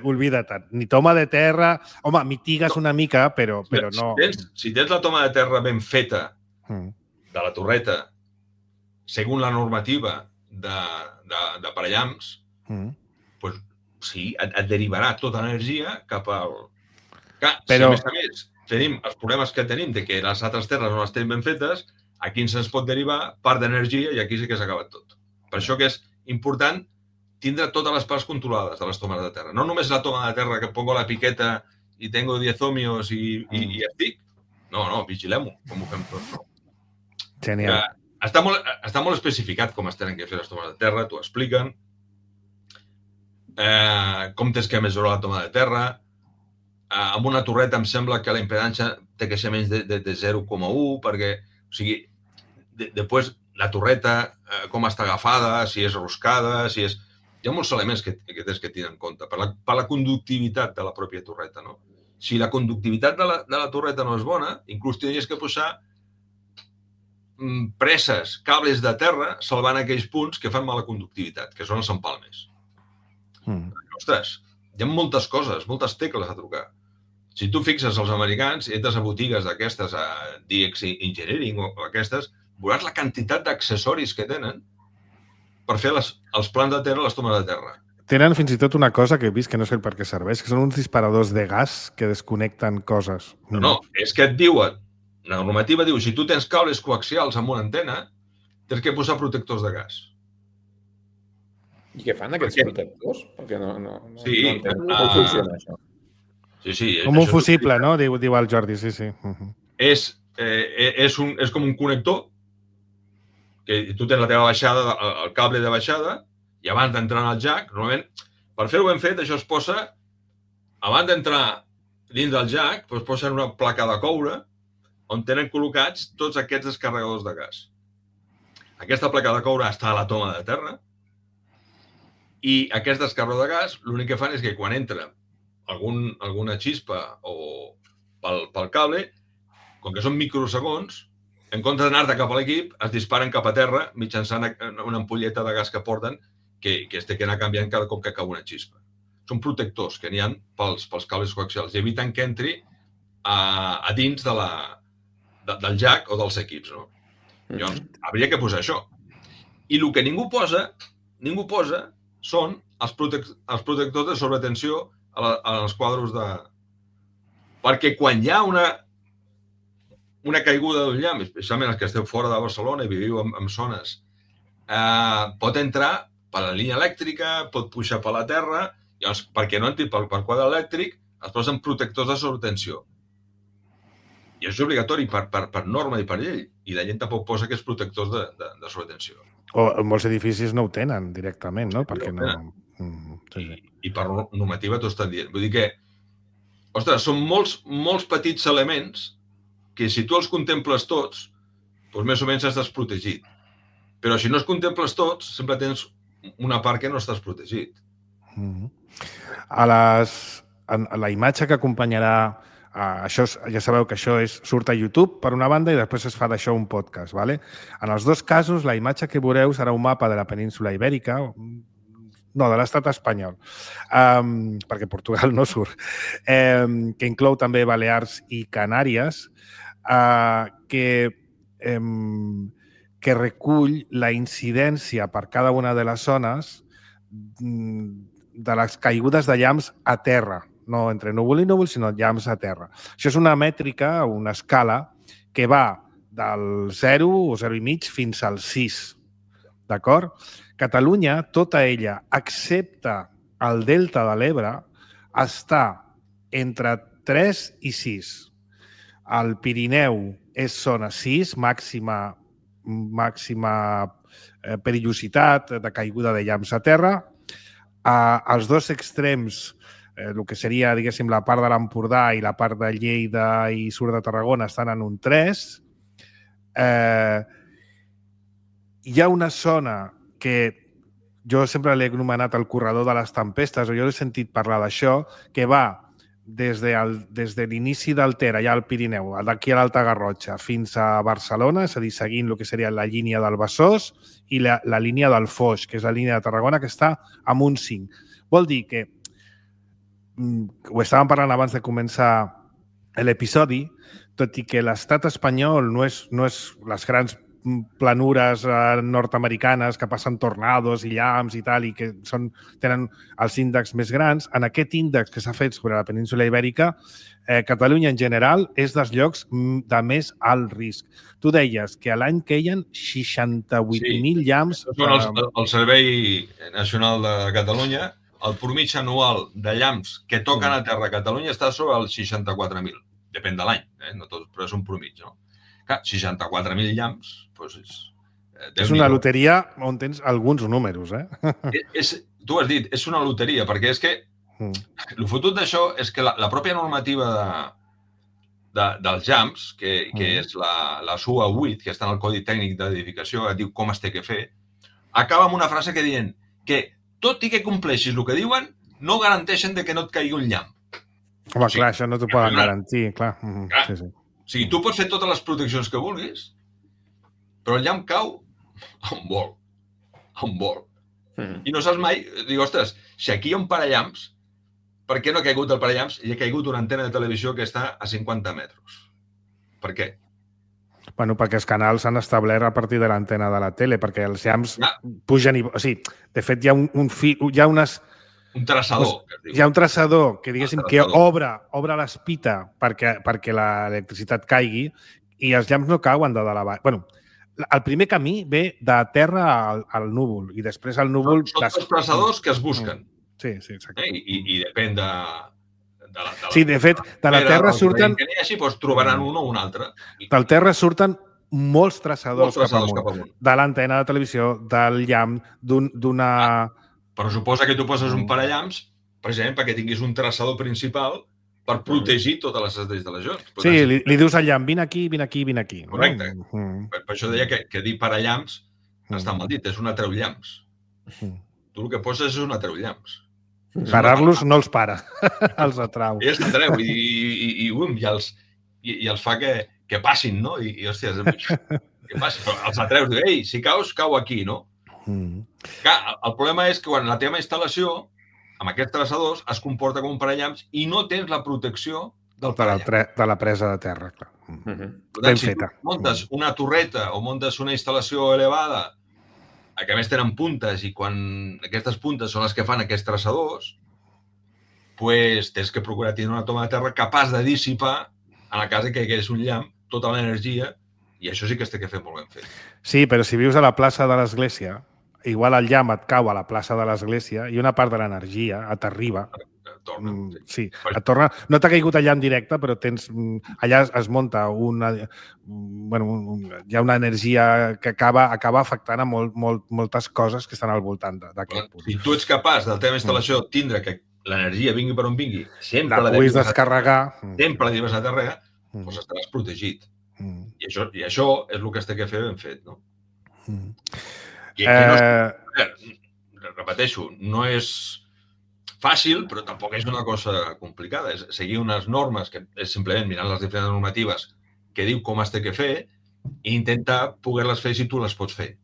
Oblida't. Ni toma de terra... Home, mitigues una mica, però, però no... Si tens, si tens la toma de terra ben feta mm. de la torreta, segons la normativa de, de, de parallamps, mm. pues, sí, et, et derivarà tota l'energia cap al... Clar, però... si a més a més tenim els problemes que tenim de que les altres terres no les tenim ben fetes, aquí ens pot derivar part d'energia i aquí sí que s'ha acabat tot. Per això que és important tindre totes les parts controlades de les tomes de terra. No només la toma de terra que pongo la piqueta i tengo diez ohmios i, i, i estic. No, no, vigilem-ho, com ho fem tot. No? Genial. Està molt, està molt especificat com es tenen que fer les tomes de terra, t'ho expliquen. Eh, com tens que mesurar la toma de terra. Eh, amb una torreta em sembla que la impedància té que ser menys de, de, de zero coma u, perquè, o sigui, de, després la torreta, eh, com està agafada, si és roscada, si és... Hi ha molts elements que, que tens que tenir en compte per la, per la conductivitat de la pròpia torreta, no? Si la conductivitat de la, de la torreta no és bona, inclús tenies que posar preses cables de terra salvant aquells punts que fan mala conductivitat, que són els empalmes. Mm. Ostres, hi ha moltes coses, moltes tecles a trucar. Si tu fixes els americans, entres a botigues d'aquestes, a D X Engineering o aquestes, veuràs la quantitat d'accessoris que tenen per fer les, els plans de terra, les tomes de terra. Tenen fins i tot una cosa que he vist que no sé per què serveix, que són uns disparadors de gas que desconnecten coses. No, no, és que et diuen, la normativa diu, si tu tens cables coaxials amb una antena, tens que posar protectors de gas. I què fan aquests protectors? Perquè no, no, no, sí, no entenc com uh, funciona això. Sí, sí. Com un fusible, no? Diu, diu el Jordi, sí, sí. Uh -huh. És, eh, és, un, és com un connector que tu tens la teva baixada, el cable de baixada, i abans d'entrar en el jack, normalment, per fer-ho ben fet, això es posa, abans d'entrar dins del jack, doncs posen una placa de coure on tenen col·locats tots aquests descarregadors de gas. Aquesta placa de coure està a la toma de terra i aquest descarregador de gas l'únic que fan és que quan entra algun, alguna xispa o pel, pel cable, com que són microsegons, en comptes d'anar-te cap a l'equip, es disparen cap a terra mitjançant una ampolleta de gas que porten que, que es té que anar canviant cada cop que cau una xispa. Són protectors que n'hi ha pels, pels cables coaxials i eviten que entri a, a dins de la, de, del jack o dels equips, no? Llavors, hauria que posar això. I el que ningú posa, ningú posa són els, protec els protectors de sobretensió a, la, a els quadros de... Perquè quan hi ha una, una caiguda d'un llamp, especialment els que esteu fora de Barcelona i viviu en, en zones, eh, pot entrar per la línia elèctrica, pot pujar per la terra, llavors, perquè no entri per, per quadre elèctric, es posen protectors de sobretensió. I és obligatori per, per, per norma i per llei. I la gent tampoc posa aquests protectors de, de, de sobretensió. O en molts edificis no ho tenen directament, no? Perquè no... Mm, sí, sí. I, I per normativa t'ho estan dient. Vull dir que, ostres, són molts, molts petits elements que si tu els contemples tots, doncs més o menys estàs protegit. Però si no els contemples tots, sempre tens una part que no estàs protegit. Mm. A, les, a la imatge que acompanyarà Uh, això és, ja sabeu que això és, surt a YouTube per una banda i després es fa d'això un podcast. ¿Vale? En els dos casos, la imatge que veureu serà un mapa de la península Ibèrica, no, de l'estat espanyol, um, perquè Portugal no surt, um, que inclou també Balears i Canàries, uh, que, um, que recull la incidència per cada una de les zones de les caigudes de llamps a terra. No entre núvol i núvol, sinó llamps a terra. Això és una mètrica, una escala, que va del zero o zero i mig fins al sis. D'acord? Catalunya, tota ella, excepte el delta de l'Ebre, està entre tres i sis. El Pirineu és zona sis, màxima, màxima perillositat de caiguda de llamps a terra. Els dos extrems, el que seria, diguéssim, la part de l'Empordà i la part de Lleida i sud de Tarragona estan en un tres. Eh, hi ha una zona que jo sempre l'he anomenat el corredor de les tempestes, o jo he sentit parlar d'això, que va des de, des de l'inici del Ter, allà al Pirineu, d'aquí a l'Alta Garrotxa, fins a Barcelona, és a dir, seguint el que seria la línia del Besòs i la, la línia del Foix, que és la línia de Tarragona, que està amb un cinc. Vol dir que ho estàvem parlant abans de començar l'episodi, tot i que l'estat espanyol no és, no és les grans planures nord-americanes que passen tornados i llamps i tal, i que són, tenen els índexs més grans. En aquest índex que s'ha fet sobre la península Ibèrica, eh, Catalunya en general és dels llocs de més alt risc. Tu deies que a l'any queien seixanta-vuit mil sí. llamps... Són els, el Servei Nacional de Catalunya. El promig anual de llamps que toquen a terra a Catalunya està sobre els seixanta-quatre mil. Depèn de l'any, eh? No tot, però és un promig, no? Clar, seixanta-quatre mil llamps, doncs és... Eh, és una loteria on tens alguns números, eh? És, és, tu has dit, és una loteria, perquè és que mm. el fotut d'això és que la, la pròpia normativa de, de, dels llamps, que, que mm. és la, la S U A vuit, que està en el Codi Tècnic d'Edificació, que diu com es té que fer, acaba amb una frase que diuen que tot i que compleixis el que diuen, no garanteixen de que no et caigui un llamp. Home, o sigui, clar, això no t'ho poden garantir, clar. clar. Sí, sí. O sigui, tu pots fer totes les proteccions que vulguis, però el llamp cau on vol, on vol. Mm. I no saps mai, dic, ostres, si aquí hi ha un parallamps, per què no ha caigut el parallamps i ha caigut una antena de televisió que està a cinquanta metres? Per què? Bueno, perquè els canals s'han establert a partir de l'antena de la tele, perquè els llamps ja. pugen i... O sigui, de fet, hi ha un, un fi... Hi ha unes... Un traçador. Que es diu. Hi ha un traçador que, diguéssim, que obre, obre l'espita perquè, perquè l'electricitat caigui i els llamps no cauen de dalt a baix. Bueno, el primer camí ve de terra al, al núvol i després el núvol... Són dos traçadors que es busquen. Sí, sí, exacte. Eh? I, I depèn de... De la, de la, sí, de fet, de la Terra surten... Que n'hi hagi, doncs trobaran un o un altre. Del Terra surten molts traçadors, molts traçadors cap, cap amunt. De l'antena de televisió, del llamp, d'una... Ah, però suposa que tu poses un parallamps, precisament perquè tinguis un traçador principal per protegir totes les estrelles de les llums. Sí, li, li dius al llamp, vine aquí, vine aquí, vine aquí. Correcte. Mm. Per, per això deia que, que dir parallamps mm. està mal dit, és un atreu-llamps. Mm. Tu el que poses és un atreu-llamps. Parar-los no els para, els atrau. I els atreu i, i, i, um, i, els, i, i els fa que, que passin, no? I, i hòstia, que passin. Però els atreus, diu, ei, si caus, cau aquí, no? Mm. Clar, el problema és que quan la teva instal·lació, amb aquests traçadors, es comporta com un parallamps i no tens la protecció del parallamps. De la, de la presa de terra, clar. Mm -hmm. Per tant, si tu muntes una torreta o muntes una instal·lació elevada que a més tenen puntes i quan aquestes puntes són les que fan aquests traçadors, pues tens que procurar tenir una toma de terra capaç de dissipar a la casa que hi hagués un llamp tota l'energia i això sí que es té que fer molt ben fet. Sí, però si vius a la plaça de l'església, igual el llamp et cau a la plaça de l'església i una part de l'energia t'arriba. Torna, sí. sí, et torna. No t'ha caigut allà en directe, però tens allà es munta una... Bueno, un, hi ha una energia que acaba, acaba afectant a molt, molt, moltes coses que estan al voltant d'aquest punt. Si tu ets capaç de la teva instal·lació tindre que l'energia vingui per on vingui, sempre la puguis descarregar, sempre la debes a terra, mm. doncs estaràs protegit. Mm. I, això, I això és el que es té que fer ben fet, no? Mm. I, eh... no és, repeteixo, no és fàcil, però tampoc és una cosa complicada. És seguir unes normes que és simplement mirant les diferents normatives que diu com es té que fer i intentar poder-les fer si tu les pots fer.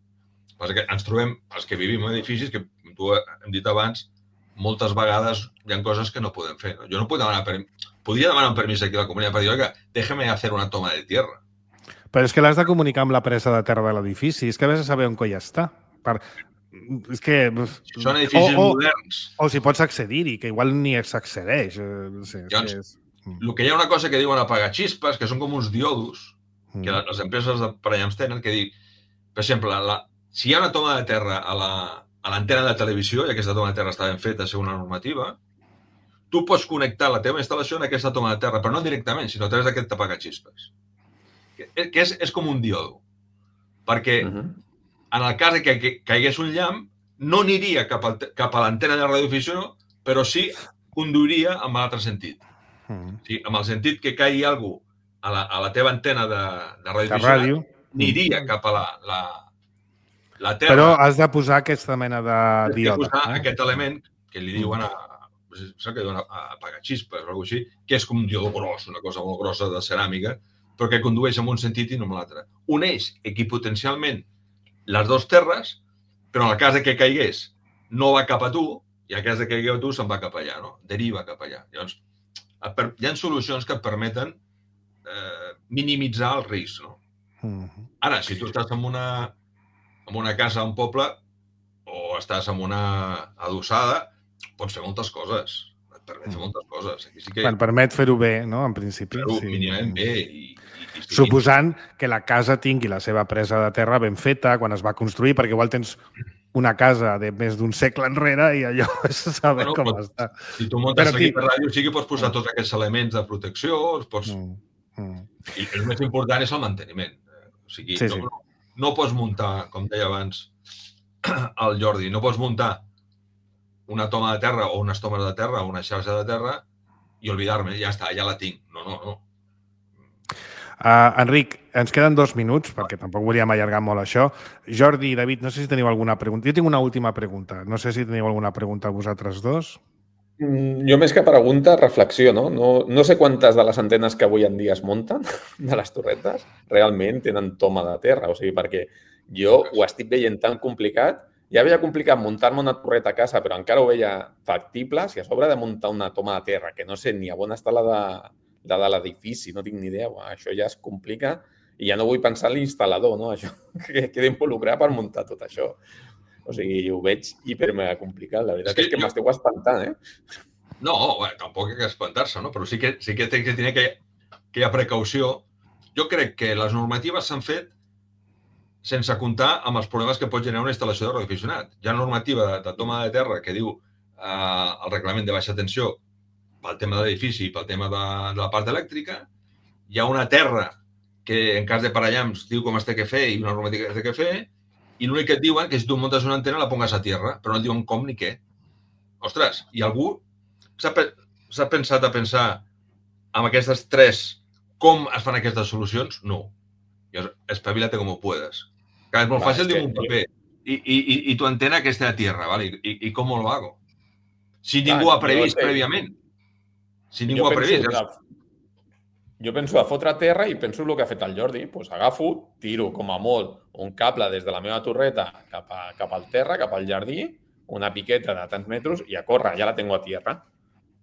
Passa que ens trobem, els que vivim en edificis, que tu hem dit abans, moltes vegades hi ha coses que no podem fer. No? Jo no puc demanar permís. Podria demanar un permís aquí a la comunitat per dir, oiga, déjame hacer una toma de tierra. Però és que l'has de comunicar amb la presa de terra de l'edifici. És que has de saber on coi està. Per... És que... Són edificis o, o, moderns. O si pots accedir-hi, que igual ni s'accedeix. No sé, Llavors, és... el que hi ha una cosa que diuen apagaxispes, que són com uns diodos, mm. que les empreses de parallamps tenen, que dir, per exemple, la, si hi ha una toma de terra a la, a l'antena de televisió, i aquesta toma de terra està ben feta segons la normativa, tu pots connectar la teva instal·lació en aquesta toma de terra, però no directament, sinó a través d'aquest apagaxispes. Que, que és, és com un diodo. Perquè mm-hmm. en el cas que, que caigués un llamp, no aniria cap, al, cap a l'antena de radioafició, però sí conduiria en l'altre sentit. Mm. Sí, amb el sentit que caigui algú a la, a la teva antena de, de radioafició, ràdio. Aniria cap a la, la, la terra. Però has de posar aquesta mena de diode. Has de posar eh? aquest element que li diuen a, a, a apagaxispes o alguna cosa així, que és com un diodo gros, una cosa molt grossa de ceràmica, però que condueix en un sentit i no en l'altre. Uneix equipotencialment les dues terres, però en el cas de que caigués no va cap a tu, i en el cas de que caigueu a tu se'n va cap allà, no? Deriva cap allà. Llavors, hi ha solucions que et permeten eh, minimitzar el risc, no? Mm-hmm. Ara, si tu estàs en una, en una casa a un poble o estàs en una adossada, pots fer moltes coses. Et permet fer moltes coses. Aquí sí que... Et permet fer-ho bé, no?, en principi. Fer-ho sí. mínimament bé. I, i, i suposant que la casa tingui la seva presa de terra ben feta quan es va construir, perquè igual tens una casa de més d'un segle enrere i allò és saber bueno, com pot, està. Si tu muntes aquí per ràdio, sí que pots posar tots aquests elements de protecció, pots... Mm. Mm. I el més important és el manteniment. O sigui, sí, no, sí. No, no pots muntar, com deia abans el Jordi, no pots muntar una toma de terra o unes tomes de terra o una xarxa de terra i oblidar-me, ja està, ja la tinc. No, no, no. Uh, Enric, ens queden dos minuts, perquè tampoc volíem allargar molt això. Jordi i David, no sé si teniu alguna pregunta. Jo tinc una última pregunta. No sé si teniu alguna pregunta a vosaltres dos. Jo més que pregunta, reflexió, no? No, no sé quantes de les antenes que avui en dia es munten, de les torretes, realment tenen toma de terra. O sigui, perquè jo ho estic veient tan complicat. Ja veia complicat muntar-me una torreta a casa, però encara ho veia factible. Si a sobre de muntar una toma de terra, que no sé ni a on està la de, la de l'edifici, no tinc ni idea, uah, això ja es complica i ja no vull pensar en l'instal·lador, no? Això que queda involucrat per muntar tot això. O sigui, ho veig hipermega complicat. La veritat és que, és que jo... m'esteu espantant, eh? No, bé, tampoc hi ha que espantar-se, no? Però sí que, sí que té que tenir que, que hi ha precaució. Jo crec que les normatives s'han fet sense comptar amb els problemes que pot generar una instal·lació de radioaficionat. Hi ha normativa de, de toma de terra que diu eh, el reglament de baixa tensió pel tema de l'edifici i pel tema de, de la part elèctrica. Hi ha una terra que en cas de parellams diu com es té que fer i una normativa que es té que fer, i l'únic que et diuen que si tu muntes una antena la pongas a terra, però no et diuen com ni què. Ostres, i algú s'ha pensat a pensar amb aquestes tres com es fan aquestes solucions? No. Espavila't com ho puedes. Que és molt Va, fàcil dir un paper. I, i, i, i tu antena que esté a tierra, ¿vale? I, i com lo hago? Si ningú ha previst prèviament. Si ningú ha previst. Que, jo penso a fotre a terra i penso el que ha fet el Jordi. Pues agafo, tiro com a molt un cable des de la meva torreta cap, a, cap al terra, cap al jardí, una piqueta de tants metres i a córrer, ja la tengo a tierra.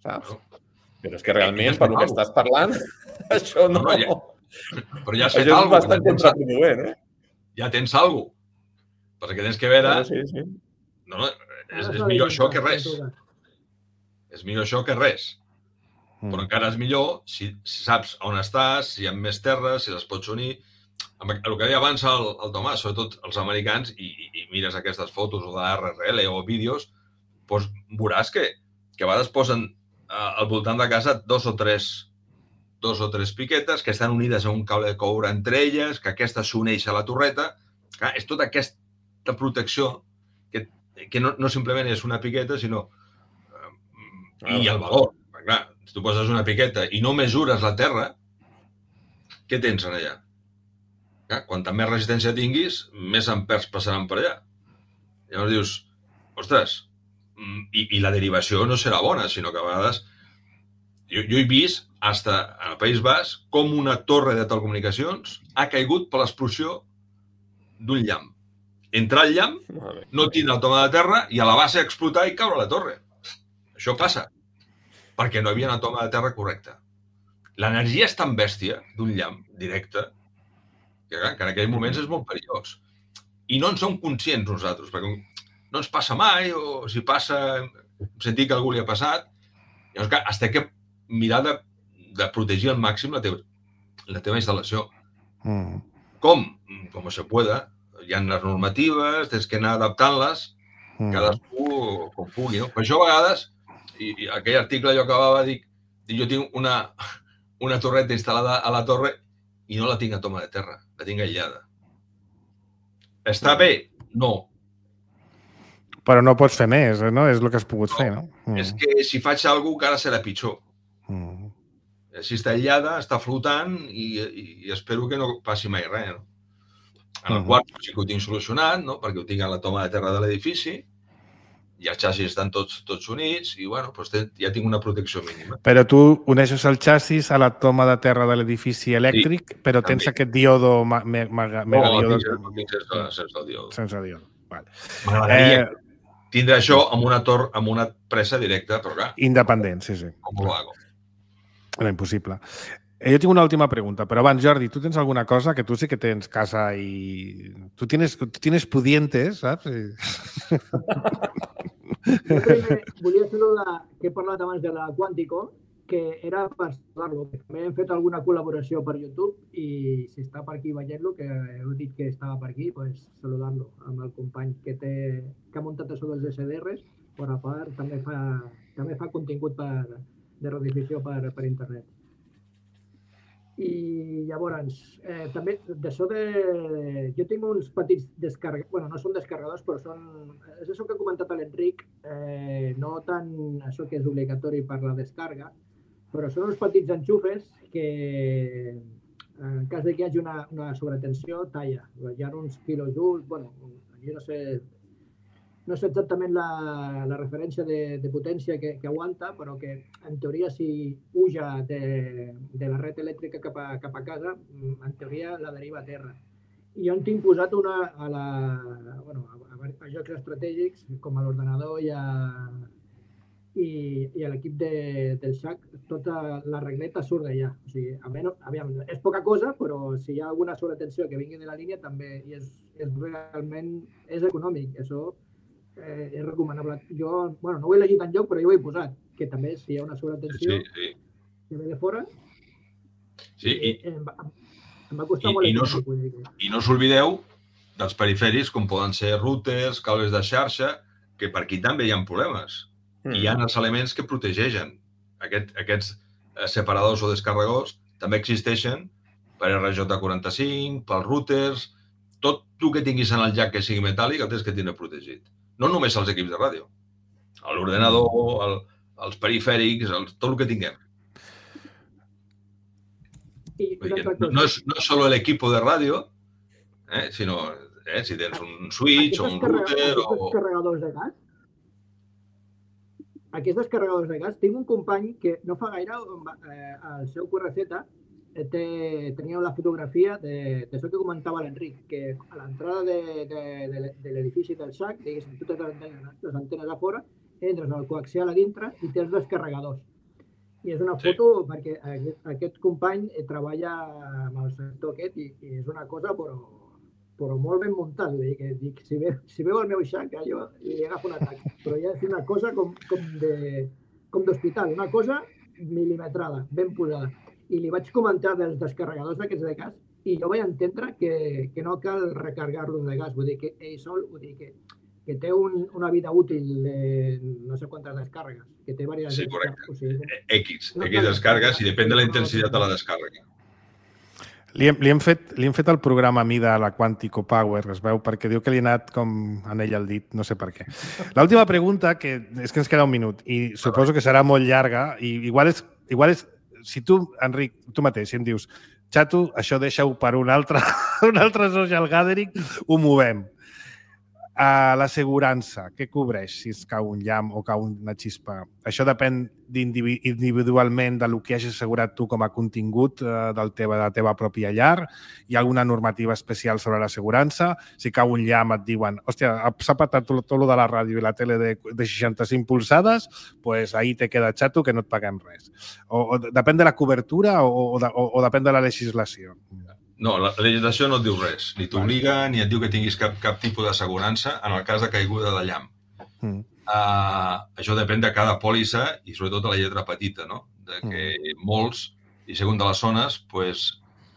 Saps? Però és que realment, per lo que estàs parlant, això no... no, no ja... Però ja has fet alguna cosa. Ja tens, eh? ja tens alguna cosa. Perquè tens que veure... Sí, sí. No, no, és, és millor això que res. És millor això que res. Però encara és millor si, si saps on estàs, si hi ha més terres, si les pots unir. El que deia abans el, el Tomàs, sobretot els americans, i, i, i mires aquestes fotos o de R R L o vídeos, doncs veuràs que, que a vegades posen eh, al voltant de casa dos o tres dos o tres piquetes que estan unides a un cable de coure entre elles, que aquesta s'uneix a la torreta. Clar, és tota aquesta protecció que, que no, no simplement és una piqueta, sinó... Eh, I el valor. Clar, si tu poses una piqueta i no mesures la terra, què tens en allà? Clar, quanta més resistència tinguis, més ampers passaran per allà. Llavors dius, ostres, i, i la derivació no serà bona, sinó que a vegades... Jo, jo he vist, fins al País Basc, com una torre de telecomunicacions ha caigut per l'explosió d'un llamp. Entrar el llamp, no tindre el toma de terra i a la base explotar i caure la torre. Això passa, perquè no hi havia una toma de terra correcta. L'energia és tan bèstia d'un llamp directe que, que en aquells moments és molt perillós. I no en som conscients nosaltres, perquè no ens passa mai, o si passa, sentir que a algú li ha passat. Llavors, clar, has de que mirar de, de protegir al màxim la teva, la teva instal·lació. Mm. Com? Com se pueda. Hi ha les normatives, tens que anar adaptant-les, mm. cadascú com pugui. No? Per això, a vegades, i, i aquell article jo acabava de dir, jo tinc una, una torreta instal·lada a la torre i no la tinc a toma de terra, la tinc aïllada. Està bé? No. Però no pots fer més, no? És el que has pogut no, fer, no? Mm. És que si faig alguna cosa, encara serà pitjor. Mm. Si està aïllada, està flotant i, i, i espero que no passi mai res, no? En el mm. quart sí que ho tinc solucionat, no? Perquè ho tinc a la toma de terra de l'edifici i els xassis estan tots, tots units i, bueno, doncs ja tinc una protecció mínima. Però tu uneixes el xassis a la toma de terra de l'edifici elèctric, sí, però tens també aquest diodo, me, me, me, no, no, tinc, tinc sense, sense el diodo. Sense el diodo, vale. M'agradaria eh... tindre això amb una, tor amb una presa directa, però clar... Independent, sí, sí. Com ho hago? Era impossible. Jo tinc una última pregunta, però abans, Jordi, tu tens alguna cosa que tu sí que tens casa i... Tu tienes, tu tienes pudientes, saps? I... Jo primer volia saludar, que he parlat abans de la Quantico, que era per saludar-lo. També hem fet alguna col·laboració per YouTube i si està per aquí veient-lo, que heu dit que estava per aquí, pues saludar-lo amb el company que, té, que ha muntat això dels S D Rs, però a part també fa, també fa contingut per, de redifusió per, per internet. I llavors, eh, també d'això de... Jo tinc uns petits descarregadors, bueno, no són descarregadors, però són... És això que ha comentat l'Enric, eh, no tant això que és obligatori per la descarga, però són uns petits enxufes que, en cas de que hi hagi una, una sobretensió, talla. Hi ha uns quilojoules, bueno, jo no sé... no sé exactament la, la referència de, de potència que, que aguanta, però que en teoria si puja de, de la red elèctrica cap a, cap a casa, en teoria la deriva a terra. I jo en tinc posat una a, la, bueno, a, a jocs estratègics, com a l'ordenador i a, i, i a l'equip de, del S A C, tota la regleta surt d'allà. O sigui, almenys, aviam, és poca cosa, però si hi ha alguna sobretensió que vingui de la línia també i és, és realment és econòmic. Això eh, és recomanable. Jo, bueno, no ho he llegit enlloc, però jo ho he posat, que també si hi ha una sobretensió sí, sí. que ve de fora, sí, i, eh, em, em va costar i, molt. I no, i no us oblideu dels perifèrics, com poden ser routers, cables de xarxa, que per aquí també hi ha problemes. Mm. Hi ha els elements que protegeixen. Aquest, aquests separadors o descarregadors també existeixen per R J quaranta-cinc, pels routers, tot el que tinguis en el jack que sigui metàl·lic el tens que tindre protegit. No només els equips de ràdio. L'ordenador, el, els perifèrics, el, tot el que tinguem. I, no, no, és, no és solo el equipo de ràdio, eh, sinó eh, si tens un switch o un router o... Aquests descarregadors de gas, aquests descarregadors de gas, tinc un company que no fa gaire, eh, al seu Q R Z, té, tenia la fotografia de, de això que comentava l'Enric, que a l'entrada de, de, de, de l'edifici del S A C, diguéssim, totes les antenes, les antenes a fora, entres al coaxial a dintre i té els descarregadors. I és una foto sí. perquè aquest, aquest company treballa amb el sector aquest i, i és una cosa però, però molt ben muntat. Vull dir que dic, si, ve, si veu el meu X A C, jo li agafo un atac. Però ja és una cosa com, com de com d'hospital, una cosa milimetrada, ben posada. I li vaig comentar dels descarregadors d'aquests de gas i jo vaig entendre que, que no cal recarregar-los de gas. Vull dir que ell sol, vull dir que que té un, una vida útil de no sé quantes descàrregues, que té diverses... Sí, correcte. O sigui, X, no X descàrregues i depèn de la intensitat de la descàrrega. Li hem, li, hem fet, li hem fet el programa a mi de la Quantico Power, es veu, perquè diu que li ha anat com en ell el dit, no sé per què. L'última pregunta, que és que ens queda un minut, i suposo que serà molt llarga, i igual és, igual és si tu, Enric, tu mateix, si em dius, xato, això deixa-ho per un altre, un altre social gathering, ho movem. A l'assegurança, què cobreix si es cau un llamp o cau una xispa? Això depèn individualment del que hagis assegurat tu com a contingut del teva, de la teva pròpia llar? Hi ha alguna normativa especial sobre l'assegurança? Si cau un llamp et diuen hòstia, s'ha patat tot, tot lo de la ràdio i la tele de, de seixanta-cinc polzades, pues ahí te queda xato que no et paguem res. O, o depèn de la cobertura o, o, de, o, o depèn de la legislació? No, la legislació no et diu res. Ni t'obliga, ni et diu que tinguis cap, cap tipus d'assegurança en el cas de caiguda de llamp. Mm. Uh, això depèn de cada pòlissa i sobretot de la lletra petita, no? De que mm. molts, i segons de les zones, pues,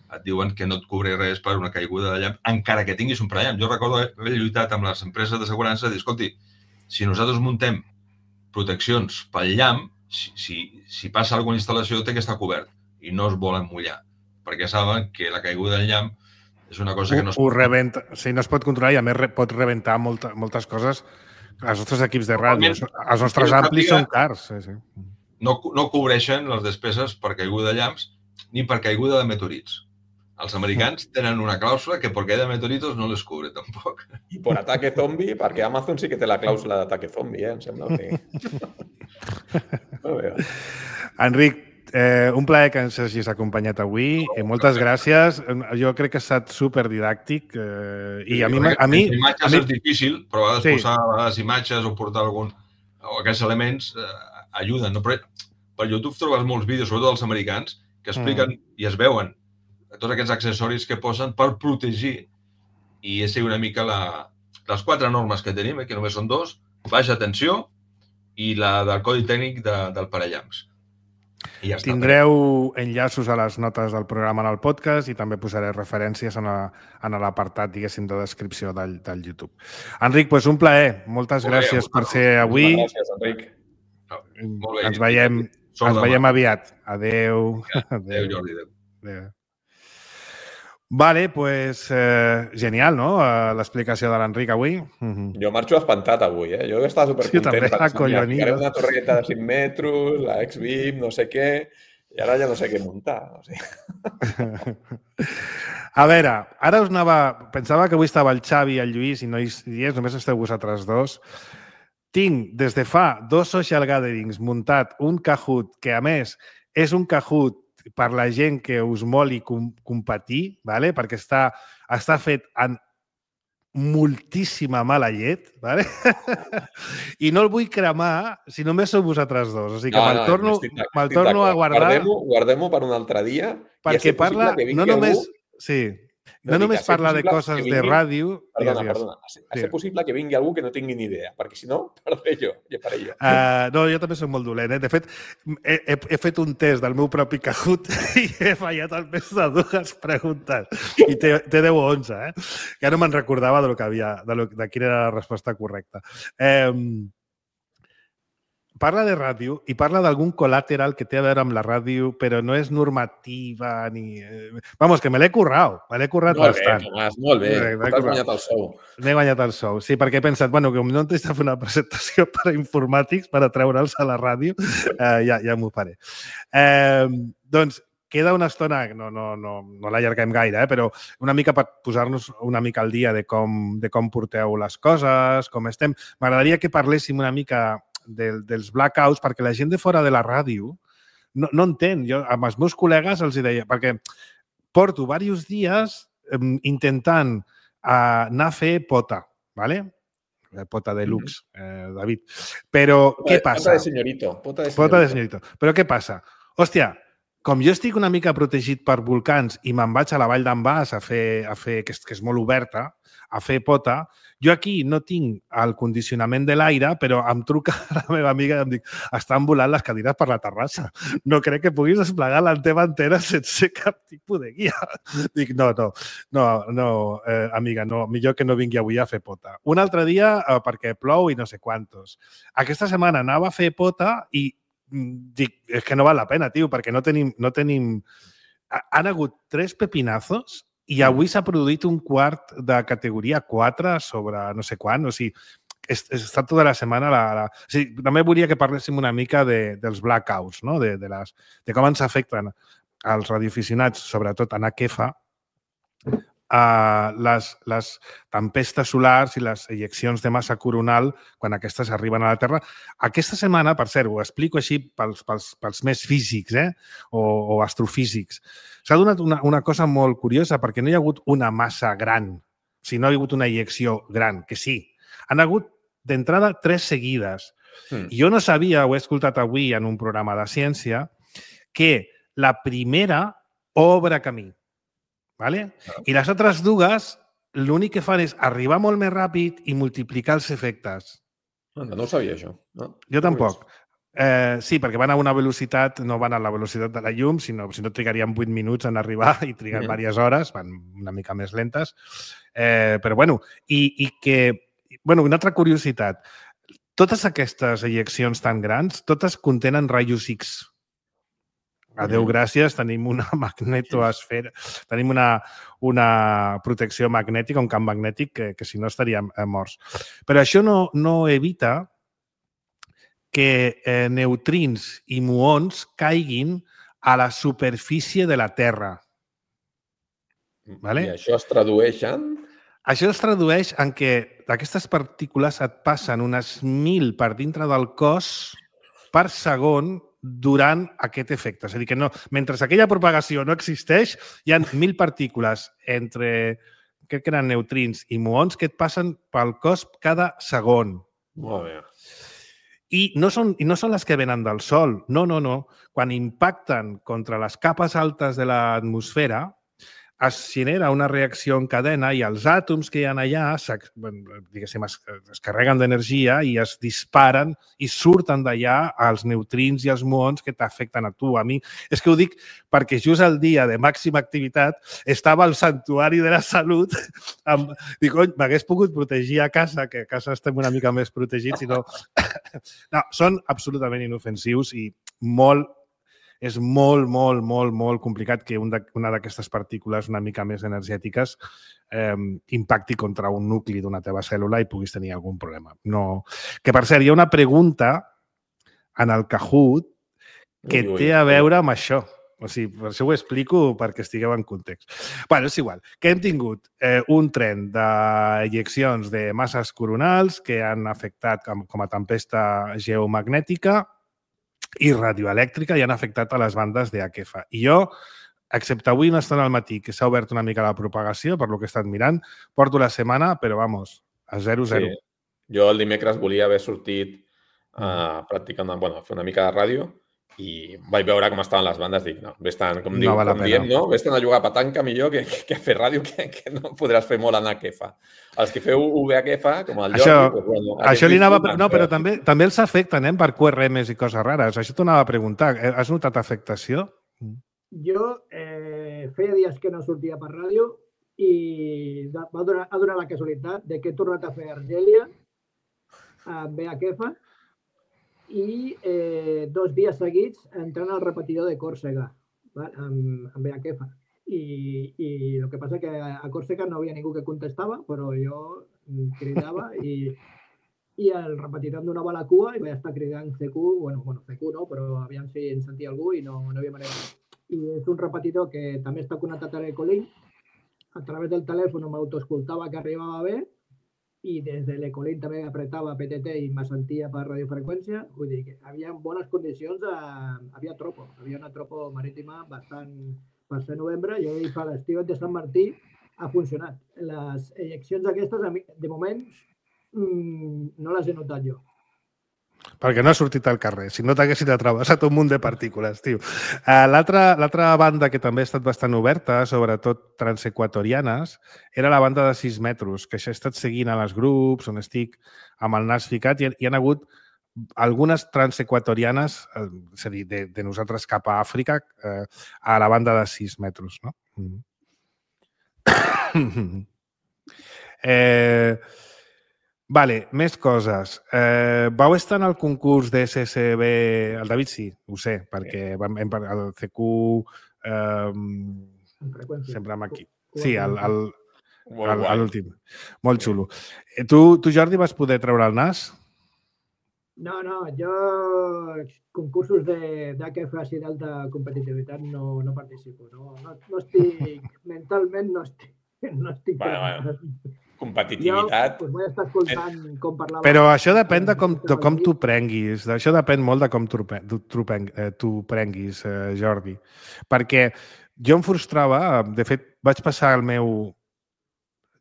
et diuen que no et cobreix res per una caiguda de llamp, encara que tinguis un parallamp. Jo recordo haver lluitat amb les empreses d'assegurança i dir, escolti, si nosaltres muntem proteccions pel llamp, si, si, si passa alguna instal·lació té que estar cobert i no es volen mullar, perquè saben que la caiguda del llamp és una cosa que no es pot... Rebenta, sí, no es pot controlar i a més pot rebentar molta, moltes coses. Els nostres equips de ràdio, els nostres amplis són cars. Sí, sí. No, no cobreixen les despeses per caiguda de llamps ni per caiguda de meteorits. Els americans tenen una clàusula que per caiguda de meteoritos no les cubre tampoc. I per ataque zombi, perquè Amazon sí que té la clàusula d'ataque zombi, eh? Em sembla que... No, Enric, Eh, un plaer que ens hagis acompanyat avui. Eh, moltes gràcies. Jo crec que ha estat superdidàctic. Eh, i a mi... A mi imatges a mi... és difícil, però a vegades sí. posar les imatges o portar algun... o aquests elements eh, ajuden. No? Però per YouTube trobes molts vídeos, sobretot els americans, que expliquen mm. i es veuen tots aquests accessoris que posen per protegir. I és una mica la... les quatre normes que tenim, eh, que només són dos, baixa tensió i la del codi tècnic de, del parallamps. Ja tindreu enllaços a les notes del programa en el podcast i també posaré referències en l'apartat, diguéssim, de descripció del, del YouTube. Enric, doncs un plaer. Moltes Molt gràcies bé, per ser avui. Gràcies, Enric. Molt bé. Ens veiem, ens veiem aviat. Adéu. Adéu, Jordi. Adéu. Adéu. Vale, pues eh, genial, no? Uh, l'explicació de l'Enric avui. Uh-huh. Jo marxo espantat avui, eh? Jo estava supercontent. Sí, també, acollonido. Una torreta de cinc metres, la X-Beam, no sé què, I ara ja no sé què muntar. O sigui. A veure, ara us anava... Pensava que avui estava el Xavi i el Lluís i no hi és, només esteu vosaltres dos. Tinc, des de fa dos social gatherings, muntat un Kahoot, que a més és un Kahoot per la gent que us moli com competir, ¿vale? Perquè està, està fet en moltíssima mala llet, ¿vale? I no el vull cremar si només sou vosaltres dos. O sigui que no, me'l no, torno, me torno a guardar... Guardem-ho guardem per un altre dia. Perquè parla... No només... Algú... Sí. No, no només parla de coses vingui... de ràdio... Perdona, digues, perdona. Ha de ser possible que vingui algú que no tingui ni idea, perquè si no, perdré jo, ja faré jo. Uh, no, jo també soc molt dolent. Eh? De fet, he, he, he fet un test del meu propi Kahoot i he fallat almenys de dues preguntes. I té, té deu o onze, eh? Ja no me'n recordava de, lo que havia, de, lo, de quina era la resposta correcta. Eh, Parla de ràdio i parla d'algun col·lateral que té a veure amb la ràdio, però no és normativa ni... Vamos, que me l'he currat, me l'he currat molt bastant. Bé, Tomàs, molt bé, t'has guanyat el sou. M'he guanyat el sou, sí, perquè he pensat, bueno, que no t'he de fer una presentació per a informàtics per a treure'ls a la ràdio, eh, ja, ja m'ho faré. Eh, doncs, queda una estona, no, no, no, no l'allarguem gaire, eh, però una mica per posar-nos una mica al dia de com, de com porteu les coses, com estem. M'agradaria que parléssim una mica de, dels blackouts, perquè la gent de fora de la ràdio no, no entén. Jo amb els meus col·legues els deia, perquè porto diversos dies eh, intentant eh, anar a fer pota, ¿vale? Pota de luxe, eh, David. Però pota, què passa? Pota de senyorito. Pota de senyorito. Pota de senyorito. Però què passa? Hòstia, com jo estic una mica protegit per volcans i me'n vaig a la Vall d'en Bas a fer, a fer que, és, que és molt oberta, a fer pota, jo aquí no tinc el condicionament de l'aire, però em truca la meva amiga i em dic, estan volant les cadires per la terrassa. No crec que puguis desplegar la teva antena sense cap tipus de guia. Dic, no, no, no, no eh, amiga, no, millor que no vingui avui a fer pota. Un altre dia eh, perquè plou i no sé quantos. Aquesta setmana anava a fer pota i dic, és que no val la pena, tio, perquè no tenim... No tenim... Han hagut tres pepinazos i avui s'ha produït un quart de categoria quatre sobre no sé quan. O sigui, he estat tota la setmana... La, la... O sigui, també volia que parléssim una mica de, dels blackouts, no? de, de, les, de com ens afecten als radioaficionats, sobretot en Aquefa, Uh, les, les tempestes solars i les ejeccions de massa coronal quan aquestes arriben a la Terra. Aquesta setmana, per cert, ho explico així pels, pels, pels més físics eh? o, o astrofísics, s'ha donat una, una cosa molt curiosa perquè no hi ha hagut una massa gran, o sigui, no hi ha hagut una ejecció gran, que sí. Han hagut d'entrada tres seguides. Mm. Jo no sabia, ho he escoltat avui en un programa de ciència, que la primera obre camí. ¿Vale? I les altres dues, l'únic que fan és arribar molt més ràpid i multiplicar els efectes. No, no ho sabia, això. No? Jo tampoc. Eh, sí, perquè van a una velocitat, no van a la velocitat de la llum, sinó si no trigarien vuit minuts en arribar i triguen mm. diverses hores, van una mica més lentes. Eh, però, bueno, i, i que... Bueno, una altra curiositat. Totes aquestes ejeccions tan grans, totes contenen rajos X. Adéu, gràcies, tenim una magnetoesfera, tenim una, una protecció magnètica, un camp magnètic que, que si no estaríem morts. Però això no, no evita que eh, neutrins i muons caiguin a la superfície de la Terra. Vale? I això es tradueix en? Això es tradueix en que aquestes partícules et passen unes mil per dintre del cos per segon durant aquest efecte. És a dir, que no, mentre aquella propagació no existeix, hi ha mil partícules entre, crec que eren neutrins i muons, que et passen pel cos cada segon. Molt bé. I no són, i no són les que venen del Sol. No, no, no. Quan impacten contra les capes altes de l'atmosfera, es genera una reacció en cadena i els àtoms que hi ha allà diguéssim, es, es carreguen d'energia i es disparen i surten d'allà els neutrins i els muons que t'afecten a tu, a mi. És que ho dic perquè just el dia de màxima activitat estava al Santuari de la Salut. Amb, dic, oi, m'hagués pogut protegir a casa, que a casa estem una mica més protegits, sinó... No, són absolutament inofensius i molt és molt, molt, molt, molt complicat que un de, una d'aquestes partícules una mica més energètiques eh, impacti contra un nucli d'una teva cèl·lula i puguis tenir algun problema. No. Que, per cert, hi ha una pregunta en el Kahoot que té a veure amb això. O sigui, per això ho explico perquè estigueu en context. Bé, és igual. Que hem tingut eh, un tren d'ejeccions de masses coronals que han afectat com, com a tempesta geomagnètica i radioelèctrica i han afectat a les bandes de Akefa. I jo, excepte avui una estona al matí, que s'ha obert una mica la propagació, per lo que he estat mirant, porto la setmana, però vamos, a zero zero. Sí. Jo el dimecres volia haver sortit a practicar una, bueno, fer una mica de ràdio i vaig veure com estaven les bandes, dic, no, vés-te'n, com, diu, No val la com pena. diem, no? Vés-te'n a jugar a petanca millor que, que, que a fer ràdio, que, que no podràs fer molt en Akefa. Els que feu U B Akefa, com el Jordi... Això, pues, bueno, això li anava... No, però però... també, també els afecten, eh, per Q R Ms i coses rares. Això t'ho anava a preguntar. Has notat afectació? Jo eh, feia dies que no sortia per ràdio i va donar, ha donat la casualitat de que he tornat a fer Argèlia amb Akefa i eh, dos dies seguits entrant al repetidor de Còrsega, val? amb, amb Akefa. I, I el que passa que a Còrsega no havia ningú que contestava, però jo cridava i, i el repetidor em donava la cua i vaig estar cridant C Q, bueno, bueno C Q no, però aviam si en sentia algú i no, no havia manera. I és un repetidor que també està connectat a l'Ecolink. A través del telèfon m'autoescoltava que arribava bé i des de l'Ecolink també apretava P T T i me sentia per radiofreqüència. Vull dir que havia bones condicions, a, havia tropo, havia una tropo marítima bastant per ser novembre i ahir per l'estiu de Sant Martí ha funcionat. Les ejeccions aquestes, de moment, mmm, no les he notat jo. Perquè no ha sortit al carrer. Si no t'haguessin atravessat un munt de partícules, tio. Uh, L'altra banda que també ha estat bastant oberta, sobretot transequatorianes, era la banda de sis metres, que això he estat seguint a les grups on estic amb el nas ficat i hi ha hagut algunes transequatorianes, eh, és a dir, de, de nosaltres cap a Àfrica, eh, a la banda de sis metres, no? Mm. eh... Vale, més coses. Eh, vau estar en el concurs de S S B... El David sí, ho sé, perquè vam, hem, el C Q eh, sempre amb aquí. Sí, el, el, el, l'últim. Molt xulo. Tu, tu, Jordi, vas poder treure el nas? No, no, jo concursos d'Akefa i d'alta competitivitat no, no participo. No, no, no estic, mentalment no estic. No estic bueno, bueno. Competitivitat... Jo pues, vull estar escoltant com parlava... Però això depèn de com, de com tu prenguis. Això depèn molt de com tu, tu, tu, tu prenguis, eh, Jordi. Perquè jo em frustrava... De fet, vaig passar el meu,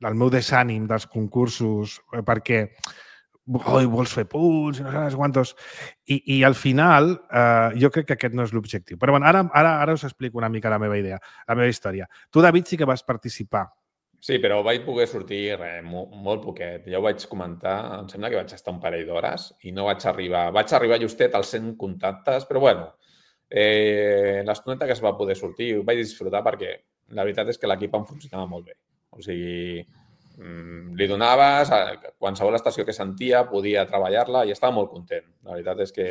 el meu desànim dels concursos perquè oh, vols fer punts, no sé quantos... I, i al final eh, jo crec que aquest no és l'objectiu. Però bueno, ara, ara, ara us explico una mica la meva idea, la meva història. Tu, David, sí que vas participar. Sí, però vaig poder sortir res, molt, molt poquet. Ja ho vaig comentar, em sembla que vaig estar un parell d'hores i no vaig arribar. Vaig arribar justet als cent contactes, però bueno, eh, l'estoneta que es va poder sortir ho vaig disfrutar perquè la veritat és que l'equip em funcionava molt bé. O sigui, li donaves, a qualsevol estació que sentia podia treballar-la i estava molt content. La veritat és que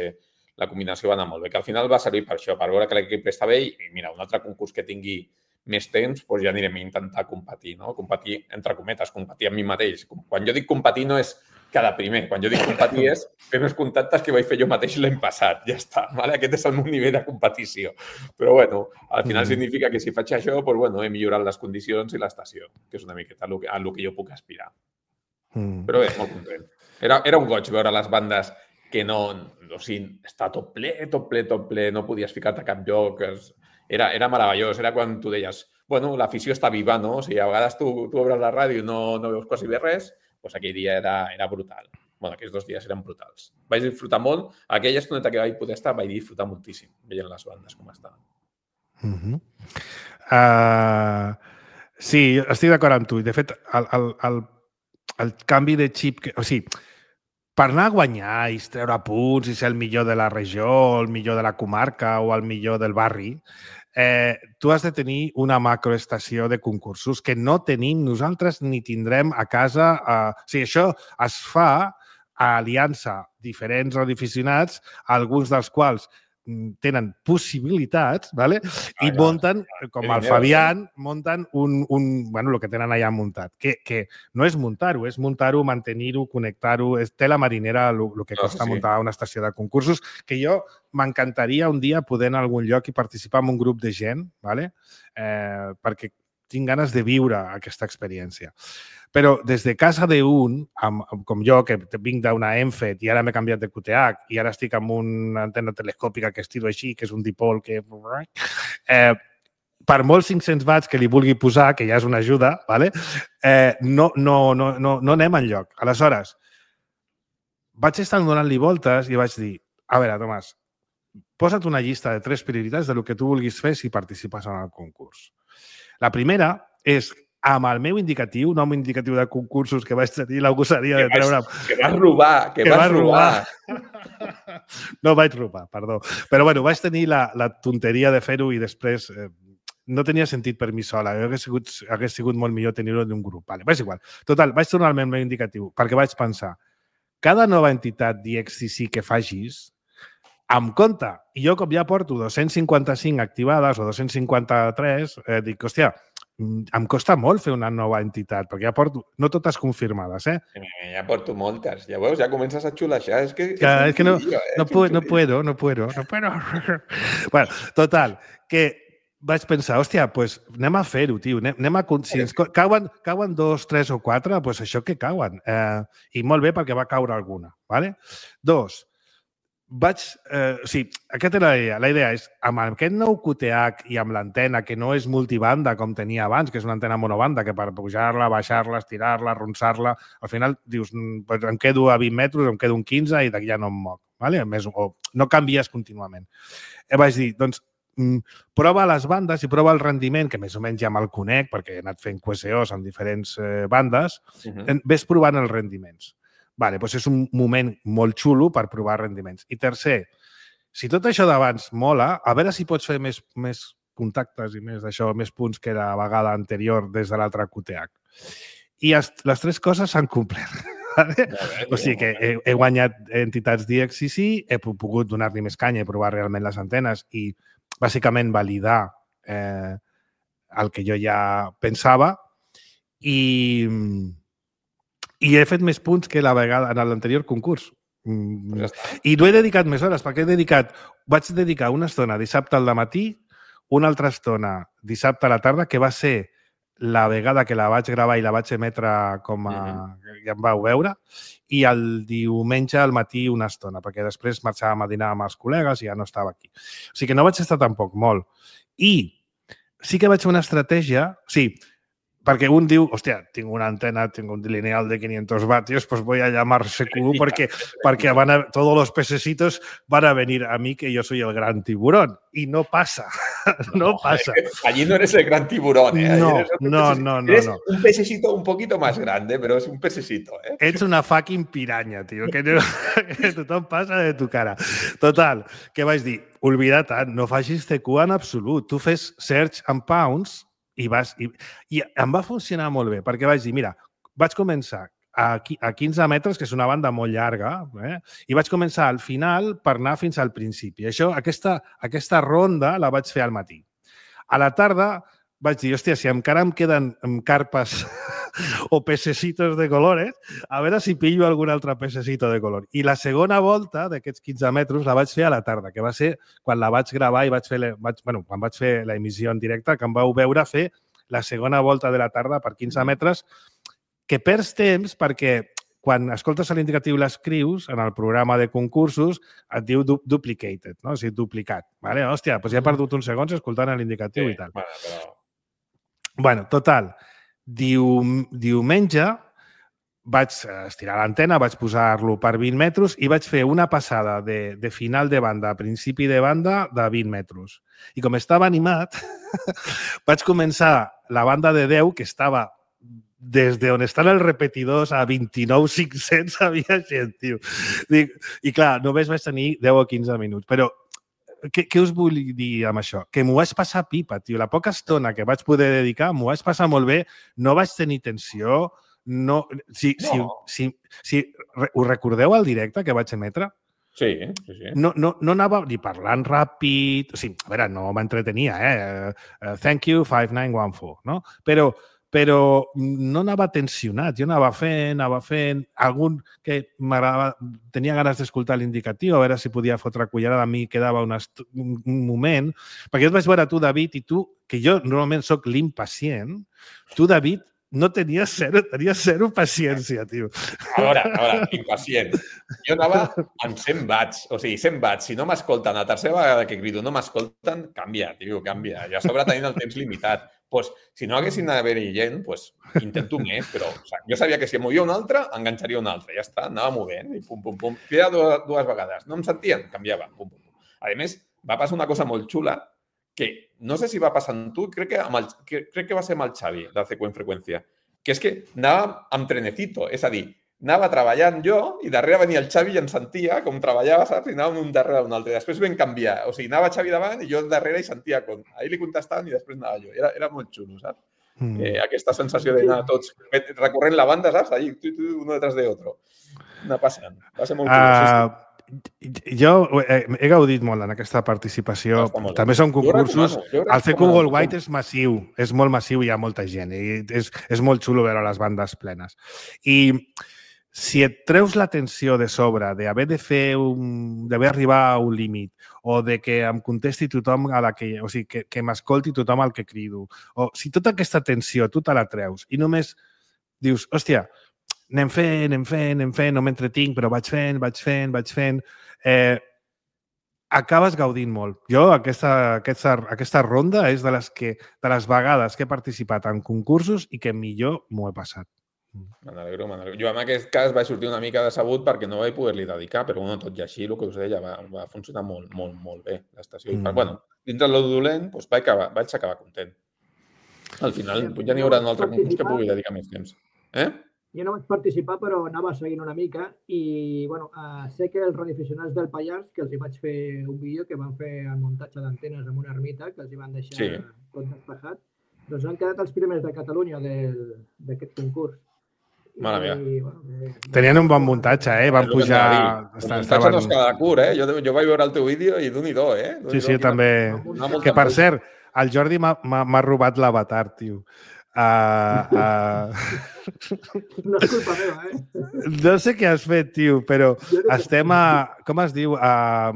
la combinació va anar molt bé, que al final va servir per això, per veure que l'equip està bé i mira, un altre concurs que tingui més temps, doncs ja anirem a intentar competir, no? Competir, entre cometes, competir amb mi mateix. Quan jo dic competir no és cada primer, quan jo dic competir és fer més contactes que vaig fer jo mateix l'any passat, ja està, vale? Aquest és el meu nivell de competició. Però bueno, al final mm. significa que si faig això, doncs bueno, he millorat les condicions i l'estació, que és una miqueta a el que jo puc aspirar. Mm. Però bé, molt content. Era, era un goig veure les bandes que no, o sigui, està tot ple, tot ple, tot ple, no podies ficar-te a cap lloc, es, Era, era meravellós, era quan tu deies, bueno, l'afició està viva, no? O sigui, a vegades tu, tu obres la ràdio i no, no veus quasi bé res, doncs aquell dia era, era brutal. Bueno, aquells dos dies eren brutals. Vaig disfrutar molt. Aquella estoneta que vaig poder estar, vaig disfrutar moltíssim, veient les bandes com estaven. Mm-hmm. uh, sí, estic d'acord amb tu. De fet, el, el, el, el canvi de xip... Que, o sigui, per anar a guanyar i treure punts i ser el millor de la regió, el millor de la comarca o el millor del barri, eh, tu has de tenir una macroestació de concursos que no tenim nosaltres ni tindrem a casa. Eh, o sigui, això es fa a aliança diferents radioaficionats, alguns dels quals tenen possibilitats, ¿vale? i Ah, munten, clar. com Que el dinero, Fabián, munten un, un, bueno, el que tenen allà muntat, que, que no és muntar-ho, és muntar-ho, mantenir-ho, connectar-ho, és tela marinera el, el que No, costa sí, sí. muntar una estació de concursos, que jo m'encantaria un dia poder en algun lloc i participar en un grup de gent, ¿vale? eh, perquè tinc ganes de viure aquesta experiència. Però des de casa d'un, com jo, que vinc d'una ENFET i ara m'he canviat de Q T H i ara estic amb una antena telescòpica que estiro així, que és un dipol que... Eh, per molts cinc-cents watts que li vulgui posar, que ja és una ajuda, ¿vale? eh, no, no, no, no, no anem enlloc. Aleshores, vaig estar donant-li voltes i vaig dir, a veure, Tomàs, posa't una llista de tres prioritats de lo que tu vulguis fer si participes en el concurs. La primera és amb el meu indicatiu, nom indicatiu de concursos que vaig tenir la gosaria de treure... Que vas robar, que, que vas robar. robar. No vaig robar, perdó. Però bueno, vaig tenir la, la tonteria de fer-ho i després eh, no tenia sentit per mi sola. Hagués sigut, hagués sigut molt millor tenir-ho en un grup. Vale, és igual. Total, vaig tornar al meu indicatiu perquè vaig pensar, cada nova entitat d'I X C C que facis, amb compte, i jo com ja porto dos-cents cinquanta-cinc activades o dos-cents cinquanta-tres, eh, dic, hòstia, em costa molt fer una nova entitat, perquè ja porto, no totes confirmades, eh? Ja porto moltes, ja veus, ja comences a xulaixar, és que... que, és, és que no, lío, eh? no, puedo, no puedo, no puedo, no puedo. Bueno, total, que vaig pensar, hòstia, pues anem a fer-ho, tio, anem, anem a... Si ens cauen, cauen dos, tres o quatre, pues això que cauen. Eh, I molt bé perquè va caure alguna, ¿vale? Dos, vaig... Eh, o sigui, aquesta era la idea. La idea és, amb aquest nou Q T H i amb l'antena, que no és multibanda com tenia abans, que és una antena monobanda, que per pujar-la, baixar-la, estirar-la, arronsar-la, al final dius, pues em quedo a vint metres, em quedo un quinze i d'aquí ja no em moc. ¿Vale? Més, o no canvies contínuament. Eh, vaig dir, doncs, mm, prova les bandes i prova el rendiment, que més o menys ja me'l conec, perquè he anat fent Q S Os en diferents eh, bandes, uh-huh. Ves provant els rendiments. Vale, doncs és un moment molt xulo per provar rendiments. I tercer, si tot això d'abans mola, a veure si pots fer més, més contactes i més d'això, més punts que la vegada anterior des de l'altre Q T H. I es, les tres coses s'han complert. Vale? Bé, o sigui que he, he guanyat entitats d'I X C C, he pogut donar-li més canya i provar realment les antenes i bàsicament validar eh, el que jo ja pensava i... I he fet més punts que la vegada en l'anterior concurs. Ja I no he dedicat més hores, perquè he dedicat... Vaig dedicar una estona dissabte al matí, una altra estona dissabte a la tarda, que va ser la vegada que la vaig gravar i la vaig emetre com a... Mm-hmm. Ja em vau veure, i el diumenge al matí una estona, perquè després marxàvem a dinar amb els col·legues i ja no estava aquí. O sigui que no vaig estar tampoc molt. I sí que vaig fer una estratègia... O sigui, perquè un diu, hòstia, tinc una antena, tinc un lineal de quinientos vatios, pues voy a llamar C Q porque, porque van a, todos los pececitos van a venir a mí que yo soy el gran tiburón. Y no pasa, no, no pasa. Allí no eres el gran tiburón, ¿eh? No, no, no, no, eres no. un pececito un poquito más grande, pero es un pececito, ¿eh? Ets una fucking piraña, tío, que, no, que tothom passa de tu cara. Total, que vaig dir, oblida't, no facis C Q en absolut. Tu fes search and pounds I, vas, i, i em va funcionar molt bé, perquè vaig dir, mira, vaig començar a, a quinze metres, que és una banda molt llarga, eh? I vaig començar al final per anar fins al principi. Això, aquesta, aquesta ronda la vaig fer al matí. A la tarda vaig dir, hòstia, si encara em queden carpes o pececitos de colores, a veure si pillo algun altre pececito de color. I la segona volta d'aquests quinze metres la vaig fer a la tarda, que va ser quan la vaig gravar i vaig fer, vaig, bueno, quan vaig fer l'emissió en directe, que em vau veure fer la segona volta de la tarda per quinze metres, que perds temps perquè quan escoltes l'indicatiu i l'escrius en el programa de concursos et diu du duplicated, no? O sigui, duplicat. Vale? Hòstia, doncs ja he perdut uns segons escoltant l'indicatiu sí, i tal. Bueno, però... bueno, total, Dium, diumenge vaig estirar l'antena, vaig posar-lo per vint metres i vaig fer una passada de, de final de banda a principi de banda de vint metres. I com estava animat, vaig començar la banda de deu, que estava des d'on estan els repetidors a vint-i-nou mil cinc-cents havia gent, tio. I clar, només vaig tenir deu o quinze minuts, però Què, què us vull dir amb això? Que m'ho vaig passar pipa, tio. La poca estona que vaig poder dedicar m'ho vaig passar molt bé, no vaig tenir tensió, no... Si, no. Si, si, si, us recordeu el directe que vaig emetre? Sí, sí, sí. No, no, no anava ni parlant ràpid... O sigui, a veure, no m'entretenia, eh? Uh, thank you, five nine one four, no? Però, però no anava tensionat. Jo anava fent, anava fent... Algun que m'agradava... Tenia ganes d'escoltar l'indicatiu, a veure si podia fotre cullerada a mi, quedava un, un, un moment. Perquè jo et vaig veure tu, David, i tu, que jo normalment sóc l'impacient, tu, David, no tenies zero, tenies zero paciència, tio. A veure, a veure, impacient. Jo anava amb cent watts, o sigui, cent watts. Si no m'escolten, la tercera vegada que crido no m'escolten, canvia, tio, canvia. I a sobre tenint el temps limitat. Pues, si no haguessin d'haver-hi gent, pues, intento més, però o sigui, jo sabia que si em movia un altre, enganxaria un altre. Ja està, anava movent i pum, pum, pum. Cridava dues, dues vegades. No em sentien? Canviava. Pum, pum, pum. A més, va passar una cosa molt xula que no sé si va passar amb tu, crec que, amb el, que, crec que va ser amb el Xavi, de C Q en Freqüència, que és que anava amb trenecito, és a dir, anava treballant jo i darrere venia el Xavi i em sentia com treballava, saps? I anàvem un darrere un altre. Després vam canviar. O sigui, anava Xavi davant i jo darrere i sentia com... Ahir li contestaven i després anava jo. Era, era molt xulo, saps? Mm. Eh, aquesta sensació d'anar tots recorrent la banda, saps? Allí, tu, tu, uno detrás de otro. Anar passant. Va ser molt xulo. Uh... Sí, sí. Jo he, he gaudit molt en aquesta participació. Ah, també són concursos. El C Q Worldwide és massiu, és molt massiu i hi ha molta gent. I és, és molt xulo veure les bandes plenes. I si et treus l'atenció de sobre d'haver de fer un, d'haver arribar a un límit o de que em contesti tothom a la que... O sigui, que, que m'escolti tothom al que crido. O si tota aquesta atenció tu te la treus i només dius, hòstia, anem fent, anem fent, anem fent, no m'entretinc, però vaig fent, vaig fent, vaig fent... Eh, acabes gaudint molt. Jo, aquesta, aquesta, aquesta ronda és de les, que, de les vegades que he participat en concursos i que millor m'ho he passat. Me n'alegro, me n'alegro. Jo en aquest cas vaig sortir una mica decebut perquè no vaig poder-li dedicar, però bueno, tot i així, el que us deia, va, va funcionar molt, molt, molt bé l'estació. Mm. Bueno, dintre del dolent, doncs vaig acabar, vaig acabar content. Al final ja n'hi haurà un altre concurs que pugui dedicar més temps. Eh? Jo no vaig participar, però anava seguint una mica i, bueno, uh, sé que els radioaficionats del Pallars, que els hi vaig fer un vídeo que van fer el muntatge d'antenes amb una ermita, que els hi van deixar sí. tot despejat, doncs han quedat els primers de Catalunya d'aquest concurs. Mare meva. I, bueno, eh, tenien un bon muntatge, eh? Van pujar... El muntatge no és cada cur, eh? Jo, jo vaig veure el teu vídeo i d'un i do, eh? Sí, sí, també. Que, per cert, el Jordi m'ha robat l'avatar, tio. Uh, uh... No és culpa meva, eh? No sé què has fet, tio, però estem a... Com es diu? A...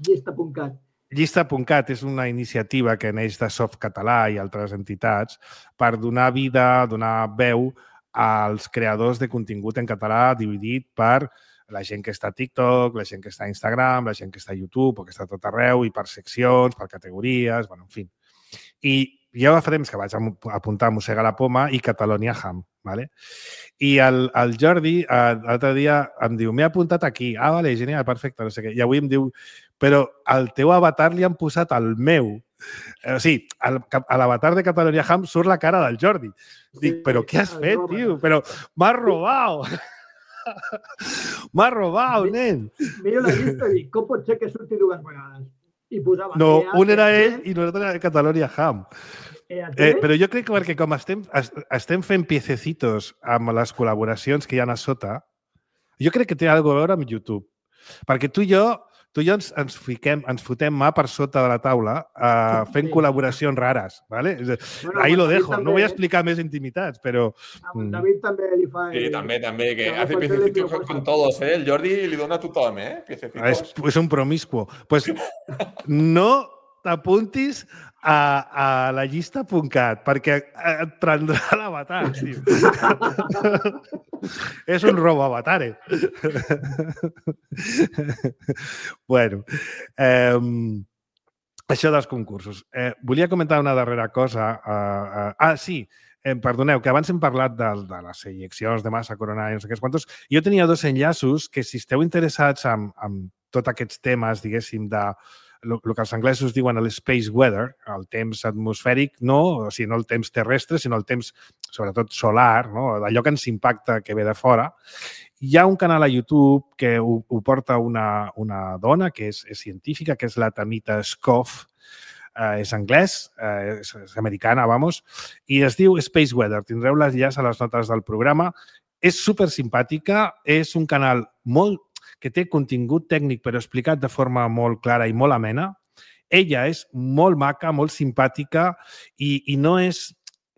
Llista punt cat. Llista punt cat és una iniciativa que neix de Softcatalà i altres entitats per donar vida, donar veu als creadors de contingut en català dividit per la gent que està a TikTok, la gent que està a Instagram, la gent que està a YouTube o que està a tot arreu i per seccions, per categories, bueno, en fi. I jo fa temps que vaig apuntar Mossega la Poma i Catalonia Ham, ¿vale? I el, el Jordi l'altre dia em diu, m'he apuntat aquí. Ah, vale, genial, perfecte, no sé què. I avui em diu, però al teu avatar li han posat el meu. O sigui, a l'avatar de Catalonia Ham surt la cara del Jordi. Dic, però què has fet, tio? Però m'has robat! M'has robat, nen! Mira la llista i dic, com pot ser que surti dues vegades? I posava... No, un era ell i l'altre era Catalonia Ham. Eh, però jo crec que perquè com estem, estem fent piececitos amb les col·laboracions que hi ha a sota, jo crec que té alguna cosa a veure amb YouTube. Perquè tu i jo, tu i jo ens, ens, fiquem, ens fotem mà per sota de la taula uh, fent sí. col·laboracions rares. ¿Vale? Bueno, ahí lo dejo. També... No vull explicar més intimitats, però... David també li fa... Sí, també, també, que hace piececitos con, con todos, ¿eh? El Jordi li dona a tothom, ¿eh? Piececitos. És, és un promiscuo. Pues no t'apuntis a, a la llista punt cat, perquè et prendrà l'avatar, tio. És un robo avatar, eh? Bueno, eh, això dels concursos. Eh, volia comentar una darrera cosa. Eh, eh, ah, sí, eh, perdoneu, que abans hem parlat de, de les eyeccions de massa coronària, no sé què quantos. Jo tenia dos enllaços que, si esteu interessats en, en tots aquests temes, diguéssim, de el que els anglesos diuen el space weather, el temps atmosfèric, no, o sigui, no el temps terrestre, sinó el temps, sobretot, solar, no? Allò que ens impacta que ve de fora. Hi ha un canal a YouTube que ho, ho porta una, una dona que és, és científica, que és la Tamita Skoff, eh, és anglès, eh, és, és americana, vamos, i es diu Space Weather. Tindreu l'enllaç a les notes del programa. És super simpàtica, és un canal molt... que té contingut tècnic però explicat de forma molt clara i molt amena. Ella és molt maca, molt simpàtica i, i no és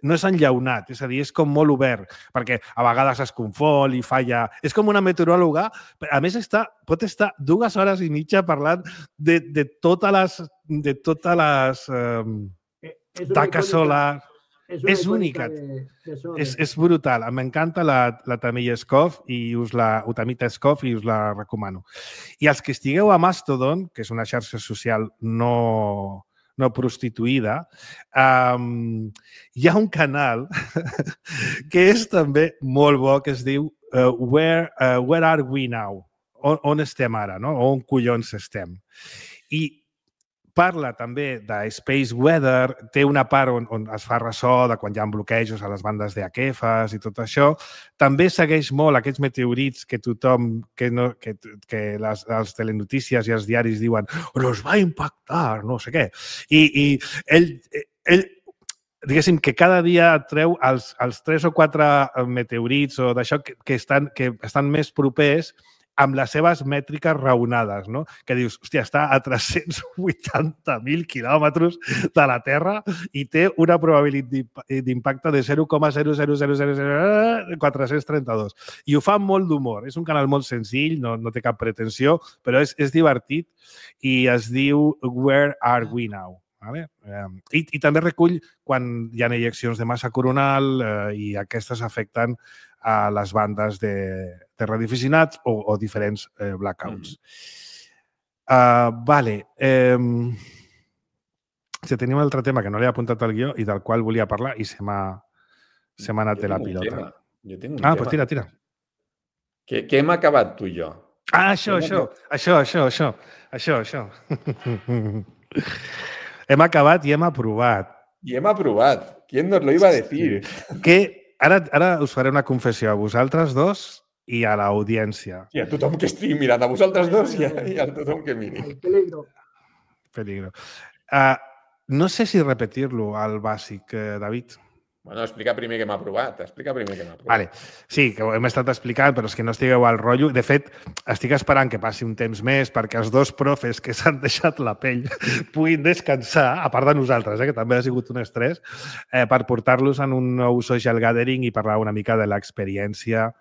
no és enllaunat, és a dir, és com molt obert, perquè a vegades es confon i falla. És com una meteoròloga, a més està, pot estar dues hores i mitja parlant de, de totes les, de totes les eh, taques solars. És, és única. De, de és, és brutal. M'encanta la, la Tamilla Skov i us la, Utamita Skov i us la recomano. I els que estigueu a Mastodon, que és una xarxa social no... no prostituïda, um, hi ha un canal que és també molt bo, que es diu uh, Where, uh, Where Are We Now? On, on estem ara, no? On collons estem? I parla també de Space Weather, té una part on, on es fa ressò de quan hi ha bloquejos a les bandes d'Aquefes i tot això. També segueix molt aquests meteorits que tothom, que, no, que, que les, les telenotícies i els diaris diuen «Nos va impactar», no sé què. I, i ell, ell, diguéssim, que cada dia treu els, els tres o quatre meteorits o d'això que, que, estan, que estan més propers amb les seves mètriques raonades, no? Que dius, hòstia, està a tres-cents vuitanta mil quilòmetres de la Terra i té una probabilitat d'impacte de zero coma zero zero zero zero quatre-cents trenta-dos. I ho fa amb molt d'humor. És un canal molt senzill, no, no té cap pretensió, però és, és divertit i es diu Where Are We Now? Vale? I, I també recull quan hi ha ejeccions de massa coronal eh, i aquestes afecten a les bandes de, de radioaficionats o, o diferents eh, blackouts. Mm. Uh, vale. Eh, si tenim un altre tema que no l'he apuntat al guió i del qual volia parlar i se m'ha anat de la pilota. Jo tinc un ah, tema. Doncs tira, tira. Què, què hem acabat tu i jo? Ah, això, això, això, això, això, això, això. Hem acabat i hem aprovat. I hem aprovat. ¿Quién nos lo iba a decir? Que ara, ara us faré una confessió a vosaltres dos i a l'audiència. I a tothom que estigui mirant, a vosaltres dos i a, i a tothom que miri. Peligro. Peligro. Uh, no sé si repetir-lo al bàsic, eh, David. Bueno, explica primer què m'ha aprovat. Explica primer què m'ha aprovat. Vale. Sí, que ho hem estat explicant, però és que no estigueu al rotllo. De fet, estic esperant que passi un temps més perquè els dos profes que s'han deixat la pell puguin descansar, a part de nosaltres, eh, que també ha sigut un estrès, eh, per portar-los en un nou social gathering i parlar una mica de l'experiència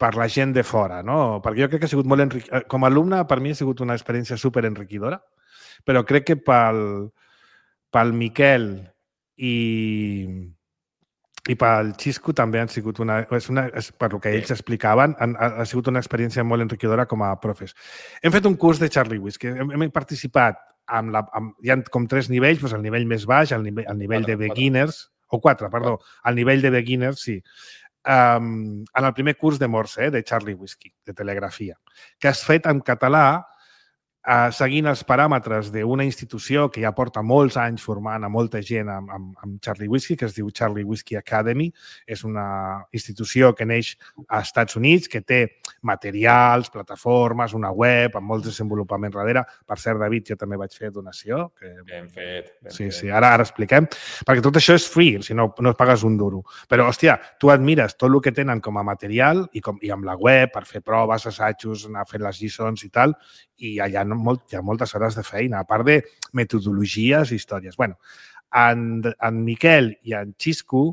per la gent de fora, no? Perquè jo crec que ha sigut molt enriquidora. Com a alumne, per mi ha sigut una experiència super enriquidora, però crec que pel, pel Miquel i, i pel Xisco també han sigut una, és una és, per el que ells explicaven, han, ha, ha sigut una experiència molt enriquidora com a profes. Hem fet un curs de Charlie Whiskey, hem, hem participat amb la, amb, hi ha com tres nivells, doncs el nivell més baix, el nivell, el nivell quatre, de beginners, quatre. o quatre, perdó, el nivell de beginners, sí. Um, en el primer curs de Morse, eh, de Charlie Whiskey, de telegrafia, que has fet en català Uh, seguint els paràmetres d'una institució que ja porta molts anys formant a molta gent amb, amb, amb Charlie Whiskey, que es diu Charlie Whiskey Academy. És una institució que neix als Estats Units, que té materials, plataformes, una web, amb molts desenvolupaments darrere. Per cert, David, jo també vaig fer donació. Que... Ben fet. Ben sí, fet. sí, ara, ara expliquem. Perquè tot això és free, si no, no pagues un duro. Però, hòstia, tu admires tot el que tenen com a material i, com, i amb la web per fer proves, assajos, anar fent les lliçons i tal, i allà no Molt, hi ha moltes hores de feina, a part de metodologies i històries. Bueno, en, en Miquel i en Xisco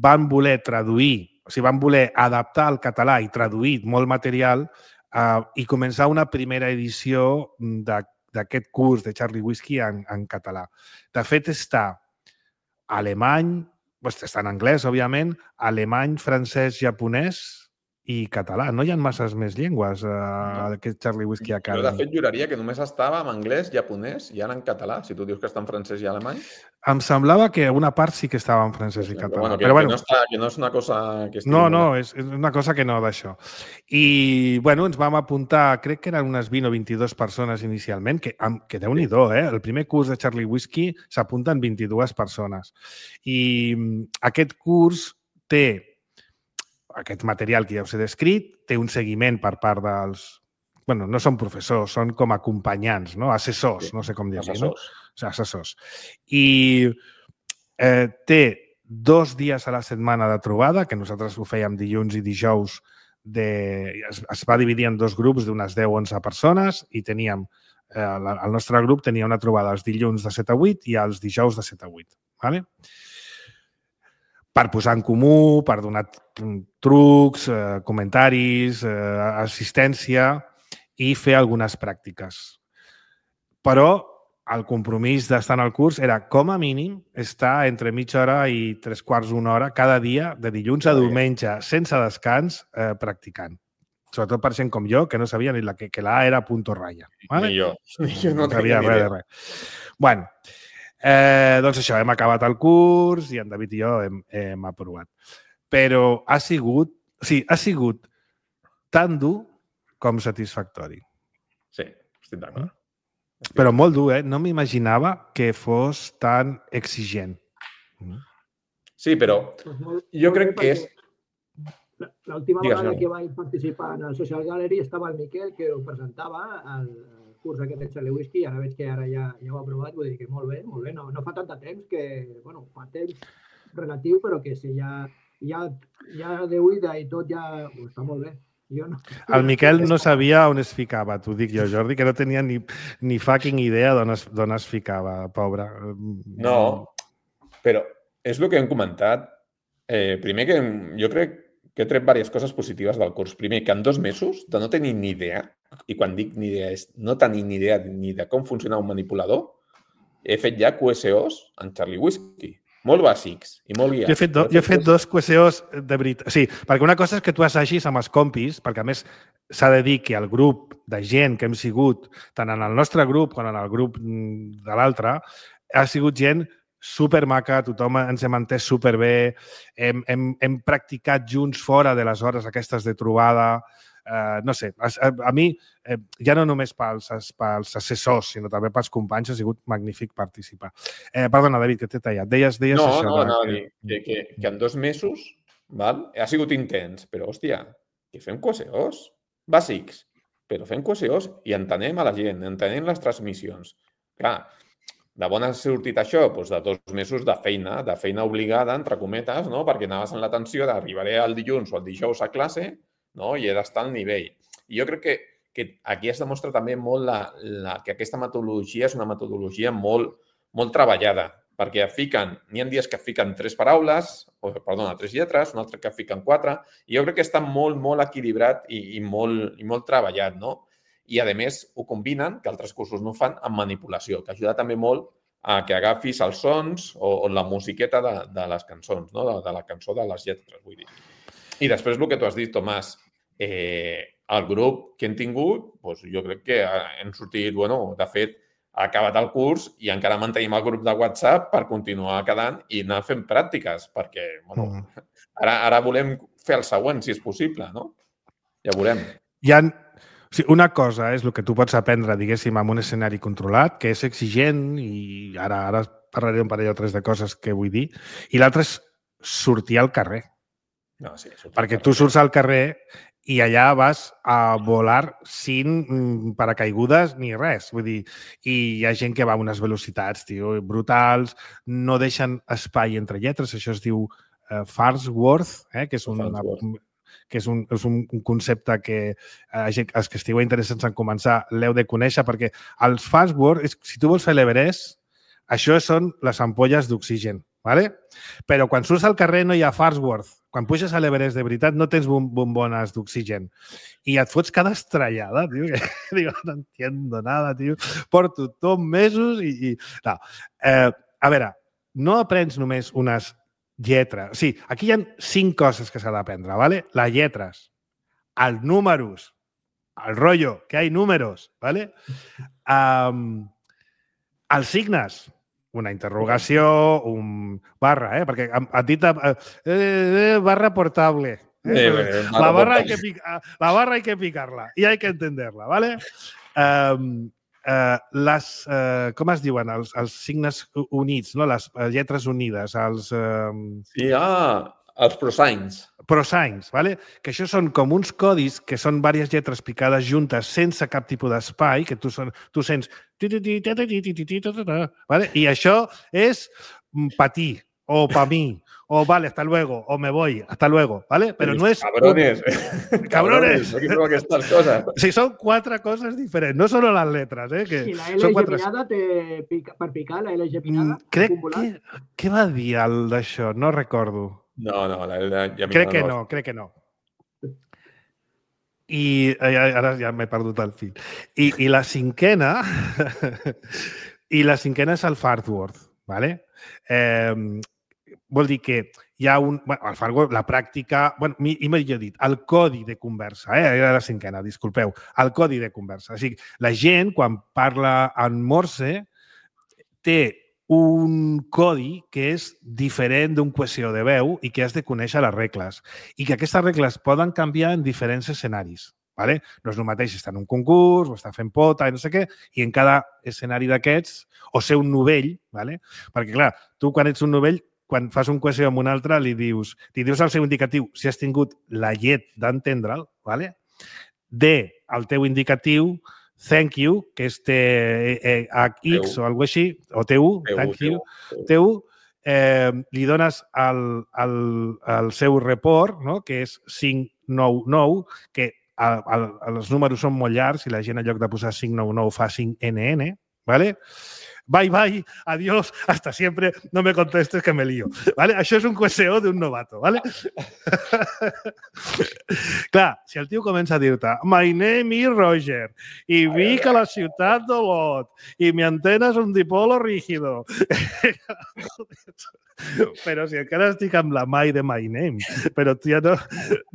van voler traduir, o sigui, van voler adaptar al català i traduir molt material eh, i començar una primera edició d'aquest curs de Charlie Whiskey en, en català. De fet, està alemany, està en anglès, òbviament, alemany, francès, japonès i català. No hi ha masses més llengües a aquest Charlie Whiskey Academy. Jo, de fet, juraria que només estava en anglès, japonès i ara en català, si tu dius que està en francès i alemany. Em semblava que una part sí que estava en francès i català. Bueno, que, però, bueno, que, no està, que no és una cosa que estigui... No, no, és, és una cosa que no d'això. I, bueno, ens vam apuntar, crec que eren unes vint o vint-i-dues persones inicialment, que, que déu-n'hi-do, eh? El primer curs de Charlie Whiskey s'apunten vint-i-dues persones. I aquest curs té aquest material que ja us he descrit, té un seguiment per part dels... Bueno, no són professors, són com acompanyants, no? Assessors, no sé com dir-ho. Assessors. No? O sigui, assessors. I eh, té dos dies a la setmana de trobada, que nosaltres ho fèiem dilluns i dijous de... Es, es va dividir en dos grups d'unes deu o onze persones i teníem... Eh, el nostre grup tenia una trobada els dilluns de set a vuit i els dijous de set a vuit. Vale? Per posar en comú, per donar trucs, eh, comentaris, eh, assistència i fer algunes pràctiques. Però el compromís d'estar en el curs era, com a mínim, estar entre mitja hora i tres quarts d'una hora cada dia, de dilluns a diumenge, sense descans, eh, practicant. Sobretot per gent com jo, que no sabia ni la, que, que la A era punto raya. Vale? Ni jo. Ni jo no, no sabia res de res. Bueno, eh, doncs això, hem acabat el curs i en David i jo hem, hem aprovat. Però ha sigut, o sigui, ha sigut tan dur com satisfactori. Sí, estic d'acord. Però molt dur, eh? No m'imaginava que fos tan exigent. Sí, però jo crec que és... L'última vegada que vaig participar en el Social Gallery estava el Miquel, que ho presentava al curs aquest de Charlie Whisky, i ara veig que ara ja, ja ho ha aprovat, vull dir que molt bé, molt bé. No, no fa tant de temps que, bueno, fa temps relatiu, però que si ja, ja, ja de oïda i tot ja oh, està molt bé. Jo no. El Miquel no sabia on es ficava, t'ho dic jo, Jordi, que no tenia ni, ni fucking idea d'on es, d'on es ficava, pobre. No, però és el que hem comentat. Eh, primer que jo crec que he tret diverses coses positives del curs. Primer, que en dos mesos de no tenir ni idea, i quan dic ni idea és no tenir ni idea ni de com funciona un manipulador, he fet ja Q S Os en Charlie Whisky. Molt bàsics i molt guiats. Jo he fet, do, jo he fet dos Q S Os de veritat. Sí, perquè una cosa és que tu assagis amb els compis, perquè a més s'ha de dir que el grup de gent que hem sigut, tant en el nostre grup com en el grup de l'altre, ha sigut gent supermaca, tothom ens hem entès superbé, hem, hem, hem practicat junts fora de les hores aquestes de trobada. Uh, no sé, a, a mi, eh, ja no només pels, pels assessors, sinó també pels companys, ha sigut magnífic participar. Eh, perdona, David, que t'he tallat. Deies, deies no, això. No, de... no, que, que, que, que en dos mesos val, ha sigut intens, però, hòstia, que fem Q S Os bàsics, però fem Q S Os i entenem a la gent, entenem les transmissions. Clar, de bon ha sortit això? Doncs de dos mesos de feina, de feina obligada, entre cometes, no? Perquè anaves en la tensió d'arribaré el dilluns o el dijous a classe, no? I he d'estar al nivell. I jo crec que, que aquí es demostra també molt la, la, que aquesta metodologia és una metodologia molt, molt treballada, perquè fiquen, n'hi ha dies que fiquen tres paraules, o, perdona, tres lletres, un altre que fiquen quatre, i jo crec que està molt, molt equilibrat i, i, molt, i molt treballat, no? I, a més, ho combinen, que altres cursos no fan, amb manipulació, que ajuda també molt a que agafis els sons o, o la musiqueta de, de les cançons, no? de, de la cançó de les lletres, vull dir. I després el que tu has dit, Tomàs, eh, el grup que hem tingut, doncs jo crec que hem sortit, bueno, de fet, ha acabat el curs i encara mantenim el grup de WhatsApp per continuar quedant i anar fent pràctiques, perquè, bueno, mm. ara, ara volem fer el següent, si és possible, no? Ja veurem. Hi ha... O sigui, una cosa és el que tu pots aprendre, diguéssim, en un escenari controlat, que és exigent, i ara, ara parlaré un parell o tres de coses que vull dir, i l'altre és sortir al carrer. No, sí, perquè tu surts al carrer i allà vas a volar sin paracaigudes ni res. Vull dir, i hi ha gent que va a unes velocitats, tio, brutals, no deixen espai entre lletres, això es diu uh, Farnsworth, eh, que és un... que és un, és un concepte que eh, els que estigueu interessats en començar l'heu de conèixer, perquè els Farnsworth, si tu vols fer l'Everest, això són les ampolles d'oxigen, ¿vale? Però quan surts al carrer no hi ha Farnsworth. Quan puges a l'Everest de veritat no tens bombones d'oxigen. I et fots cada estrellada, tio, que digo, no entiendo nada, tio. Porto tot mesos i... i... No. Eh, a veure, no aprens només unes lletres. Sí, aquí hi ha cinc coses que s'ha d'aprendre, ¿vale? Les lletres, els números, el rollo, que hay números, ¿vale? Um, els signes, una interrogació, un barra, eh? Perquè a ti t'ha... Eh, eh, barra portable. Eh? Eh, eh, la, barra hay que picar, la barra hay que picarla y hay que entenderla, ¿vale? Um, Uh, les, uh, com es diuen? Els, els signes units, no? Les lletres unides, els... Uh... Sí, ah, els prosigns. Prosigns, ¿vale? Que això són com uns codis que són diverses lletres picades juntes sense cap tipus d'espai, que tu, son, tu sents... ¿vale? I això és patir o pa mí, o vale, hasta luego, o me voy, hasta luego, ¿vale? Pero no es... Cabrones. Un... Cabrones. No quiero que estas cosas. Sí, son cuatro cosas diferents, no solo las letras, eh? Que I la L quatre... geminada té pica, per picar, la L geminada? Mm, crec que... Què va dir el d'això? No recordo. No, no, la L geminada crec que no. no, crec que no. I ara ja m'he perdut el fil. I, i la cinquena... I la cinquena és el Farnsworth, ¿vale? Eh, vol dir que hi ha un... Bueno, el Farnsworth, la pràctica... Bueno, i millor dit, el codi de conversa, eh? Era la cinquena, disculpeu. El codi de conversa. O sigui, la gent, quan parla en Morse, té un codi que és diferent d'un cohesió de veu i que has de conèixer les regles. I que aquestes regles poden canviar en diferents escenaris. Vale? No és el mateix estar en un concurs o estar fent pota i no sé què, i en cada escenari d'aquests, o ser un novell, vale? Perquè, clar, tu quan ets un novell, quan fas un cohesió amb un altre, li dius, li dius al seu indicatiu si has tingut la llet d'entendre'l, vale? D, el teu indicatiu, thank you, que és T X o alguna així, o T U, thank you, T U, eh, li dones el, el, el seu report, no? Que és cinc nou nou, que El, el, els números són molt llargs i la gent en lloc de posar cinc nou nou fa cinc N N, ¿vale? Bye, bye, adiós, hasta siempre, no me contestes que me lío. ¿Vale? Això és un coeseo d'un novato, ¿vale? Clar, si el tio comença a dir-te my name is Roger i vic a la ciutat d'Olot i mi antena és un dipolo rígido. Però si encara estic amb la Mai de My Name. Però, tia, no...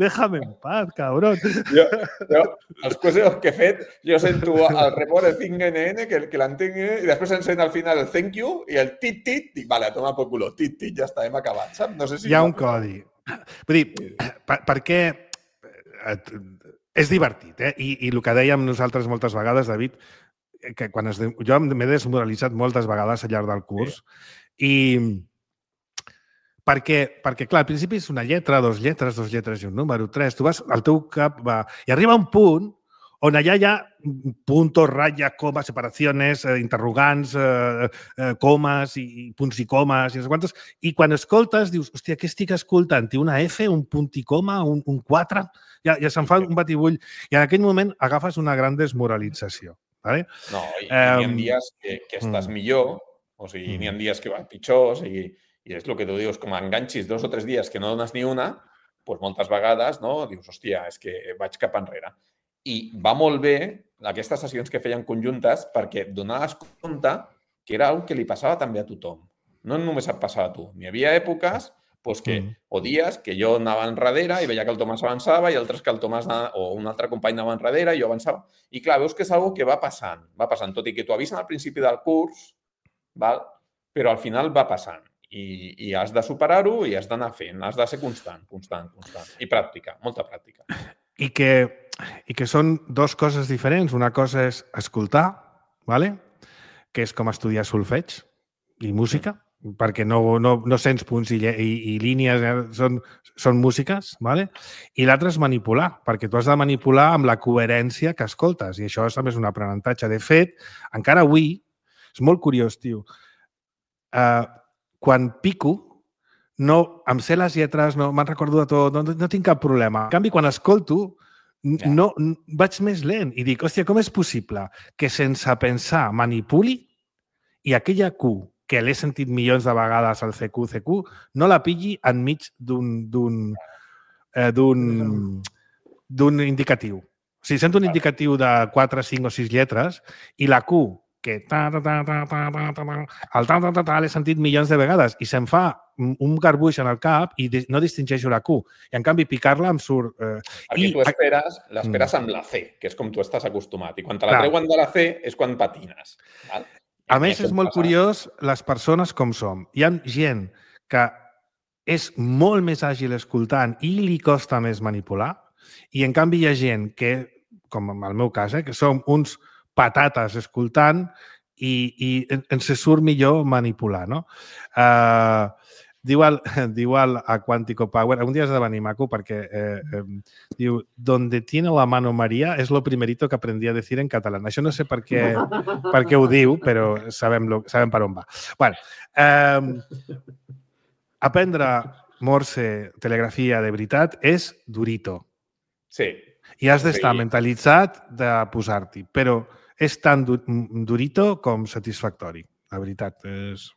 Déjame en paz, cabrón. Jo, jo els coseos que he fet, jo sento el report de cinc N N, que, que l'entenc, i després encén al final el thank you i el tit-tit, dic, vale, toma por culo, tit-tit, ja està, hem acabat, saps? No sé si... Hi ha un codi. Vull dir, per, perquè és divertit, eh? I, i el que dèiem nosaltres moltes vegades, David, que quan es, jo m'he desmoralitzat moltes vegades al llarg del curs, sí. i perquè, perquè, clar, al principi és una lletra, dos lletres, dos lletres i un número, tres. Tu vas, el teu cap va... I arriba un punt on allà hi ha puntos, ratlles, comes, separacions, eh, interrogants, eh, eh, comes i punts i comes i no sé quantes. I quan escoltes dius, hòstia, què estic escoltant? Té una F, un punt i coma, un, un quatre? Ja, ja se'n fa un batibull. I en aquell moment agafes una gran desmoralització. ¿Vale? No, i, um, i hi ha dies que, que estàs mm. millor, o sigui, mm. hi ha dies que van pitjor, o sigui... I és el que tu dius, com enganxis dos o tres dies que no dones ni una, doncs moltes vegades no? Dius, hòstia, és que vaig cap enrere. I va molt bé aquestes sessions que feien conjuntes perquè donaves compte que era una que li passava també a tothom. No només et passava a tu. Hi havia èpoques doncs, que, mm. o dies que jo anava enrere i veia que el Tomàs avançava i altres que el Tomàs anava, o un altre company anava enrere i jo avançava. I clar, veus que és una que va passant, va passant, tot i que t'ho avisen al principi del curs, val? Però al final va passant. I, i has de superar-ho i has d'anar fent, has de ser constant, constant, constant. I pràctica, molta pràctica. I que, i que són dues coses diferents. Una cosa és escoltar, ¿vale? Que és com estudiar solfeig i música, mm. perquè no, no, no sents punts i, i, i línies, eh? són, són músiques, ¿vale? I l'altre és manipular, perquè tu has de manipular amb la coherència que escoltes, i això també és un aprenentatge. De fet, encara avui, és molt curiós, tio, uh, quan pico, no, em sé les lletres, no me'n recordo de tot, no, no tinc cap problema. En canvi, quan escolto, ja. no, vaig més lent i dic, hòstia, com és possible que sense pensar manipuli i aquella Q, que l'he sentit milions de vegades al C Q, C Q, no la pilli enmig d'un d'un eh, d'un d'un indicatiu. O sigui, sento un indicatiu de quatre, cinc o sis lletres i la Q que ta, ta, ta, ta, ta, ta, ta, el ta, ta, ta, ta, l'he sentit milions de vegades i se'm fa un garbuix en el cap i no distingeixo la Q. I, en canvi, picar-la em surt... Eh, Perquè i... tu esperes, l'esperes amb la C, que és com tu estàs acostumat. I quan te la treuen de la C és quan patines. Val? A més, és molt curiós les persones com som. Hi ha gent que és molt més àgil escoltant i li costa més manipular i, en canvi, hi ha gent que, com en el meu cas, eh, que som uns patates escoltant i, i ens surt millor manipular, no? Uh, diu el, diu el a Quantico Power, un dia has de venir, maco, perquè eh, eh, diu, donde tiene la mano María es lo primerito que aprendí a decir en català. Això no sé per què, per què ho diu, però sabem, lo, sabem per on va. Bueno, eh, aprendre Morse, telegrafia de veritat, és durito. Sí. I has d'estar Sí. mentalitzat de posar-t'hi, però és tan du durito com satisfactori. La veritat és...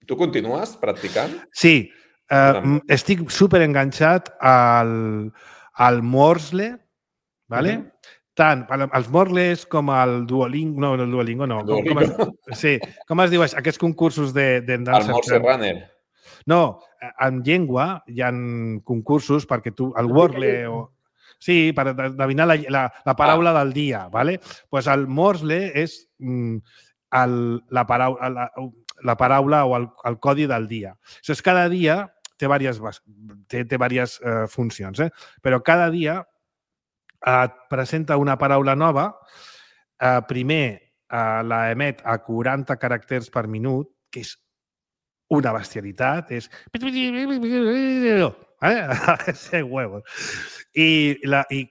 Tu continues practicant? Sí. Jo Uh, també. estic superenganxat al, al Morsle, ¿vale? Mhm. Tant el- els Morsles com el Duolingo... No, el Duolingo no. El Com, com es, Duolingo. sí, com es diu això? Aquests concursos de, de El Morse Runner. No, en llengua hi ha concursos perquè tu... El Wordle o... Sí, per endevinar la, la, la paraula ah. del dia, ¿vale? Pues el Morsle és mm, el, la, paraula, la, la paraula o el, el codi del dia. Això és cada dia té diverses, té, té diverses eh, funcions, eh? Però cada dia et presenta una paraula nova, eh, primer eh, la emet a quaranta caràcters per minut, que és una bestialitat, és... Ese huevo. I, la, i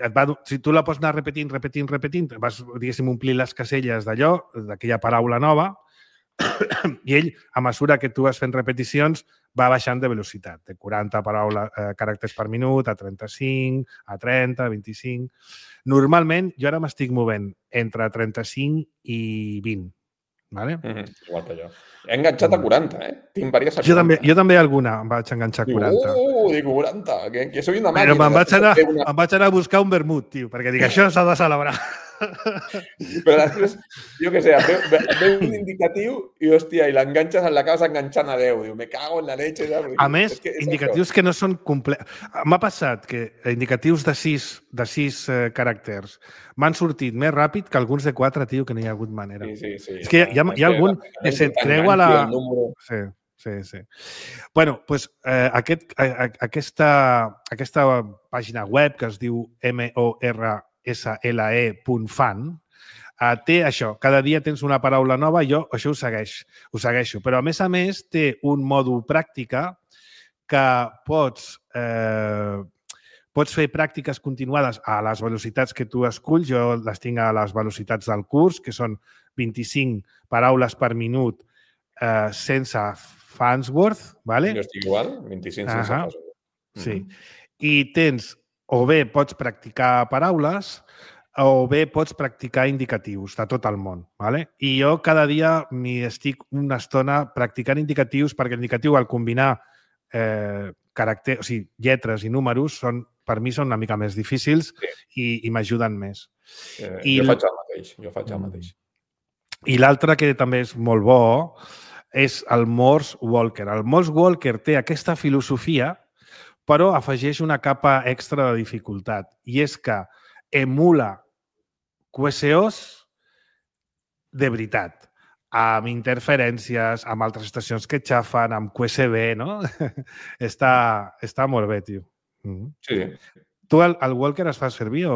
et va, si tu la pots anar repetint, repetint, repetint, vas, diguéssim, omplir les caselles d'allò, d'aquella paraula nova, i ell, a mesura que tu vas fent repeticions, va baixant de velocitat, de quaranta paraules, eh, caràcters per minut a trenta-cinc, a trenta, a vint-i-cinc... Normalment, jo ara m'estic movent entre trenta-cinc i vint. Vale? Mm-hmm. Igual que jo. He enganxat a quaranta, eh? Tinc diverses a quaranta. Jo també, jo també alguna em vaig enganxar a quaranta. Uh, dic quaranta, que, que soy una màquina. Però me'n vaig, anar, una... em vaig anar a buscar un vermut, tio, perquè dic, això s'ha de celebrar. Però després, jo què sé, et veu, et veu un indicatiu i, hòstia, i l'enganxes, l'acabes enganxant a deu. Diu, me cago en la leche. Saps? A més, és que és indicatius això. que no són complets. M'ha passat que indicatius de sis, de sis eh, caràcters m'han sortit més ràpid que alguns de quatre, tio, que no hi ha hagut manera. Sí, sí, sí. És que hi ha, hi ha algun que se't creua la... Sí, sí, sí. Bueno, doncs eh, aquest, eh, aquesta, aquesta pàgina web que es diu M O R S L E punt fan eh, té això. Cada dia tens una paraula nova i jo això ho, segueix, ho segueixo. Però, a més a més, té un mòdul pràctica que pots... Eh, Pots fer pràctiques continuades a les velocitats que tu esculls. Jo les tinc a les velocitats del curs, que són vint-i-cinc paraules per minut eh, sense Farnsworth. ¿Vale? Jo estic igual, vint-i-cinc sense uh-huh. Farnsworth. Sí. I tens, o bé pots practicar paraules, o bé pots practicar indicatius de tot el món. ¿Vale? I jo cada dia m'hi estic una estona practicant indicatius, perquè l'indicatiu, al combinar eh, caràcter, o sigui, lletres i números, són, per mi són una mica més difícils sí. i, i m'ajuden més. Eh, I jo faig el mateix, jo faig el mateix. I l'altre que també és molt bo és el Morse Walker. El Morse Walker té aquesta filosofia, però afegeix una capa extra de dificultat, i és que emula Q S Os de veritat, amb interferències, amb altres estacions que xafen, amb Q S B, no? està, està molt bé, tio. Mm-hmm. Sí. Tu el, el Walker es fa servir o...?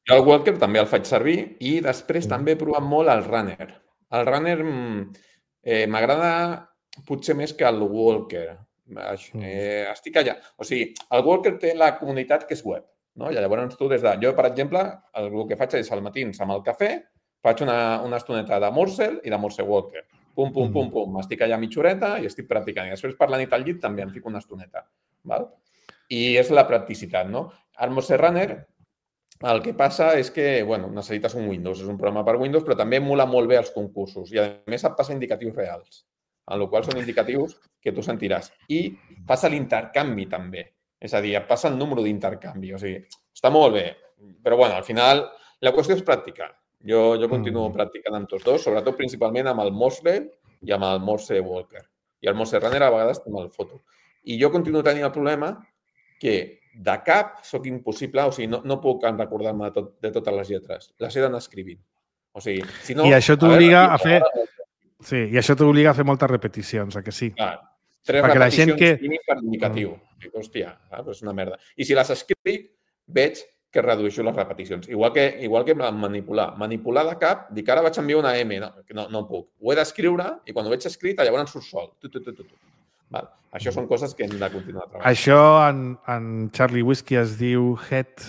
Jo el Walker també el faig servir i després mm. també he provat molt el Runner. El Runner eh, m'agrada potser més que el Walker. Eh, estic allà. O sigui, el Walker té la comunitat que és web, no? I llavors tu des de... Jo, per exemple, el, el que faig és al matins amb el cafè, faig una, una estoneta de Morsel i de Morse Walker. Pum, pum, pum, pum. M'estic allà mitja horeta i estic practicant. I després per la nit al llit també em fico una estoneta. Val? I és la practicitat, no? El Morse Runner, el que passa és que, bueno, necessites un Windows, és un programa per Windows, però també emula molt bé els concursos i, a més, et passa indicatius reals, en el qual són indicatius que tu sentiràs. I passa l'intercanvi, també. És a dir, et passa el número d'intercanvi. O sigui, està molt bé. Però, bueno, al final, la qüestió és practicar. Jo, jo continuo mm. practicant amb tots dos, sobretot principalment amb el Morsle i amb el Morse Walker. I el Morse Runner a vegades també el foto. I jo continuo tenint el problema que de cap soc impossible, o sigui, no, no puc recordar-me de, tot, de totes les lletres. Les he d'anar escrivint. O sigui, si no... I això t'obliga a, a fer... Sí, i això t'obliga a fer moltes repeticions, a que sí? Clar, tres perquè repeticions la gent que... mínim per indicatiu. Mm. Hòstia, és una merda. I si les escric, veig que redueixo les repeticions. Igual que, igual que manipular. Manipular de cap, dic, ara vaig enviar una M. No, no, no puc. Ho he d'escriure i quan ho veig escrit, llavors surt sol. Tu, tu, tu, tu, tu. Val. Això són coses que hem de continuar treballant. Això en, en Charlie Whiskey es diu head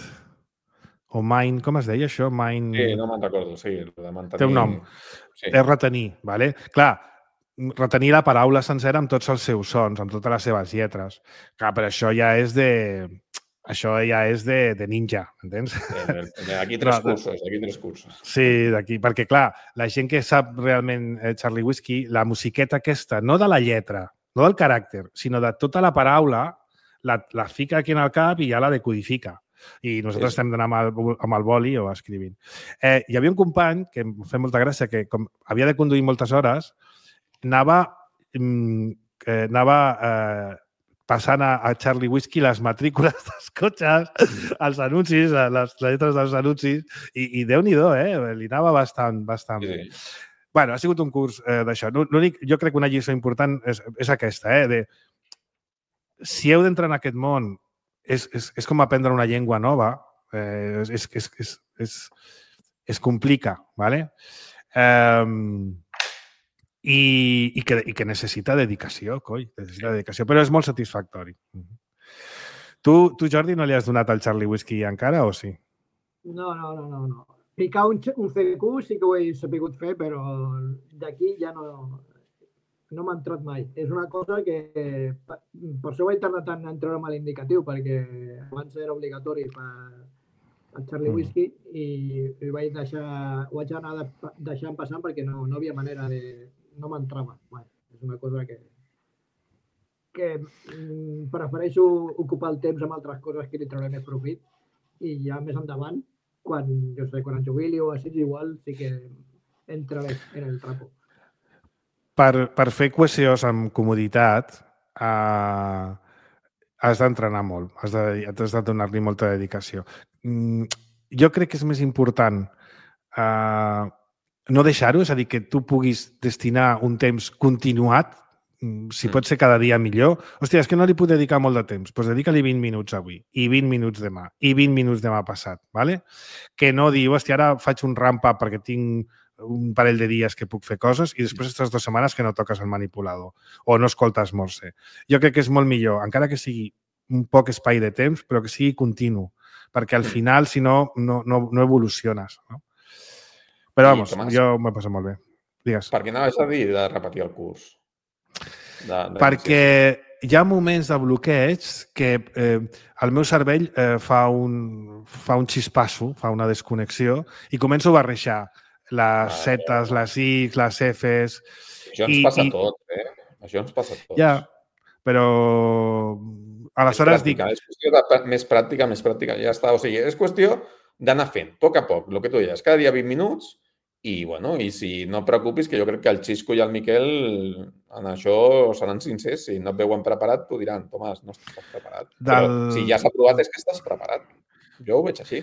o mind. Com es deia això? Mind... Sí, no me'n recordo. Sí, de mantenir... Té un nom. Sí. És retenir. Vale? Clar, retenir la paraula sencera amb tots els seus sons, amb totes les seves lletres. Clar, però això ja és de... Això ja és de, de ninja, entens? Aquí tres no, cursos, aquí tres cursos. Sí, d'aquí, perquè clar, la gent que sap realment eh, Charlie Whiskey, la musiqueta aquesta, no de la lletra, no del caràcter, sinó de tota la paraula, la, la fica aquí en el cap i ja la decodifica. I nosaltres sí. estem d'anar amb, el, amb el boli o escrivint. Eh, hi havia un company que em feia molta gràcia, que com havia de conduir moltes hores, anava, eh, anava eh, passant a, a Charlie Whiskey les matrícules dels cotxes, els anuncis, les lletres dels anuncis, i, i Déu-n'hi-do, eh? Li anava bastant, bastant bé. Sí. Bueno, ha sigut un curs eh, d'això. L'únic, jo crec que una lliçó important és, és aquesta, eh? De, si heu d'entrar en aquest món, és, és, és com aprendre una llengua nova, eh, és, és, és, és, és, es complica, ¿vale? Eh, I, i, que, i que necessita dedicació, coi, necessita dedicació, però és molt satisfactori. Tu, tu, Jordi, no li has donat al Charlie Whiskey encara o sí? No, no, no, no. no. Picar un, un C Q sí que ho he sapigut fer, però d'aquí ja no, no m'ha entrat mai. És una cosa que, per això vaig tardar tant en treure'm l'indicatiu, perquè abans era obligatori per el Charlie Whiskey i, i vaig deixar, ho vaig anar deixant passant perquè no, no havia manera de... no m'entrava. Bueno, és una cosa que, que mm, prefereixo ocupar el temps amb altres coses que li trauré més profit i ja més endavant, quan, jo sé, quan em jubili o així, igual sí que entraré en el trapo. Per, per fer cohesiós amb comoditat eh, has d'entrenar molt, has de, has de donar-li molta dedicació. Mm, jo crec que és més important eh, no deixar-ho, és a dir, que tu puguis destinar un temps continuat, si pot ser cada dia millor. Hòstia, és que no li puc dedicar molt de temps. Doncs dedica-li vint minuts avui, i vint minuts demà, i vint minuts demà passat, ¿vale? Que no diu, hòstia, ara faig un ramp-up perquè tinc un parell de dies que puc fer coses i després aquestes dues setmanes que no toques el manipulador o no escoltes Morse. Jo crec que és molt millor, encara que sigui un poc espai de temps, però que sigui continu, perquè al final, si no, no, no, no evoluciones, no? Però, vamos, Tomàs, jo m'ho he passat molt bé. Digues. Per què anaves a dir de repetir el curs? De, de Perquè hi ha moments de bloqueig que eh, el meu cervell eh, fa, un, fa un xispasso, fa una desconnexió i començo a barrejar les zetes, les X, les Fs... Això ens i, passa i... tot, eh? Això ens passa tot. Ja, però... Aleshores dic... És qüestió de més pràctica, més pràctica. Ja està. O sigui, és qüestió d'anar fent, a poc a poc, el que tu deies, cada dia vint minuts i, bueno, i si no et preocupis, que jo crec que el Xisco i el Miquel en això seran sincers. Si no et veuen preparat, t'ho diran, Tomàs, no estàs preparat. Del... Però si ja s'ha provat és que estàs preparat. Jo ho veig així.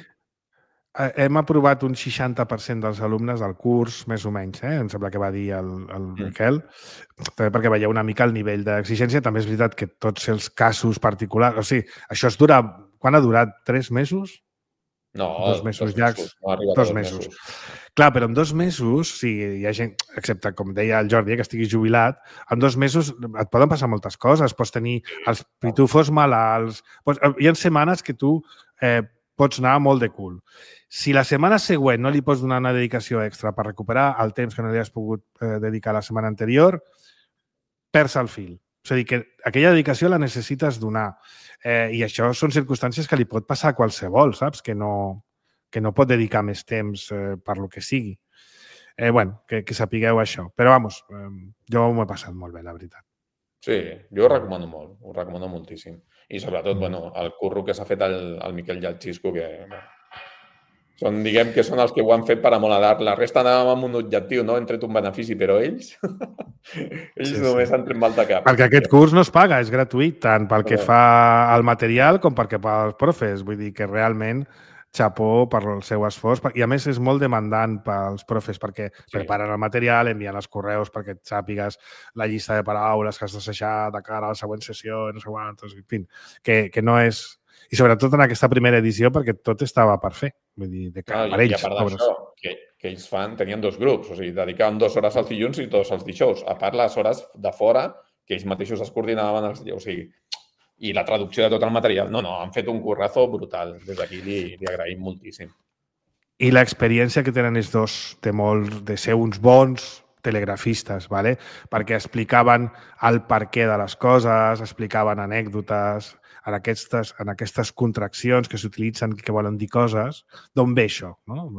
Hem aprovat un seixanta per cent dels alumnes del curs, més o menys, eh? Em sembla que va dir el, el mm. Miquel, també perquè veieu una mica el nivell d'exigència. També és veritat que tots els casos particulars... O sigui, això es dura... Quan ha durat? Tres mesos? No, dos mesos dos llargs. Mesos, no dos, dos mesos. mesos. Clar, però en dos mesos, si hi ha gent, excepte, com deia el Jordi, que estigui jubilat, en dos mesos et poden passar moltes coses. Pots tenir els pitufos malalts... Pots... Hi ha setmanes que tu eh, pots anar molt de cul. Si la setmana següent no li pots donar una dedicació extra per recuperar el temps que no li has pogut eh, dedicar la setmana anterior, perds el fil. És a dir, que aquella dedicació la necessites donar. Eh, I això són circumstàncies que li pot passar a qualsevol, saps? Que no, que no pot dedicar més temps eh, per lo que sigui. Eh, bueno, que, que sapigueu això. Però, vamos, eh, jo m'ho he passat molt bé, la veritat. Sí, jo ho recomano molt, ho recomano moltíssim. I sobretot, mm. bueno, el curro que s'ha fet el, el Miquel i el Xisco, que bueno, són, diguem que són els que ho han fet per amoladar. La resta anàvem amb un objectiu, no? Hem tret un benefici, però ells, ells sí, només sí. han tret mal de cap. Perquè aquest curs no es paga, és gratuït, tant pel que fa al material com perquè pels profes. Vull dir que realment xapó per el seu esforç. I a més és molt demandant pels profes perquè sí. preparen el material, envien els correus perquè et sàpigues la llista de paraules que has d'assajar de cara a la següent sessió, no sé quantos, en fi, que, que no és... I sobretot en aquesta primera edició perquè tot estava per fer. Vull dir, de cara no, per ells. I a part d'això, que, que ells fan, tenien dos grups, o sigui, dedicaven dues hores als dilluns i dues als dijous. A part, les hores de fora, que ells mateixos es coordinaven, els, o sigui, i la traducció de tot el material. No, no, han fet un currazo brutal. Des d'aquí li, li agraïm moltíssim. I l'experiència que tenen els dos de molt, de ser uns bons telegrafistes, ¿vale? Perquè explicaven el perquè de les coses, explicaven anècdotes, en aquestes, en aquestes contraccions que s'utilitzen que volen dir coses, d'on ve això, no?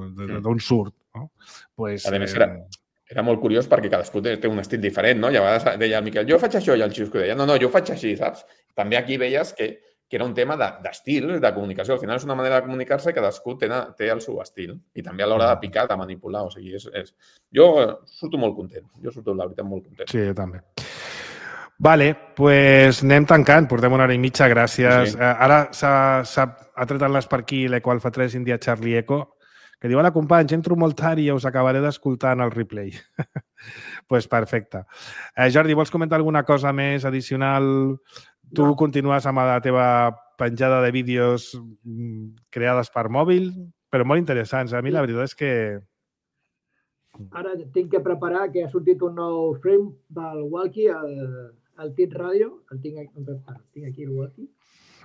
D'on surt, no? Pues, a més, era, era molt curiós perquè cadascú té, té un estil diferent, no? I a vegades deia el Miquel, jo faig això, i el Xisco deia, no, no, jo faig així, saps? També aquí veies que, que era un tema d'estil, de, de comunicació. Al final és una manera de comunicar-se i cadascú té, té el seu estil. I també a l'hora de picar, de manipular. O sigui, és, és... Jo surto molt content. Jo surto, la veritat, molt content. Sí, jo també. Vale, pues anem tancant. Portem una hora i mitja, gràcies. Sí, sí. Ara s'ha tret en les per aquí l'Eco Alfa tres India Charlie Eco, que diu, hola, companys, entro molt tard i us acabaré d'escoltar en el replay. Pues perfecte. Eh, Jordi, vols comentar alguna cosa més addicional? Tu no. Continues amb la teva penjada de vídeos creades per mòbil, però molt interessants. A mi la veritat és que... Ara tinc que preparar que ha sortit un nou frame del Walkie, el, el Tit Radio. El tinc, tinc aquí el Walkie.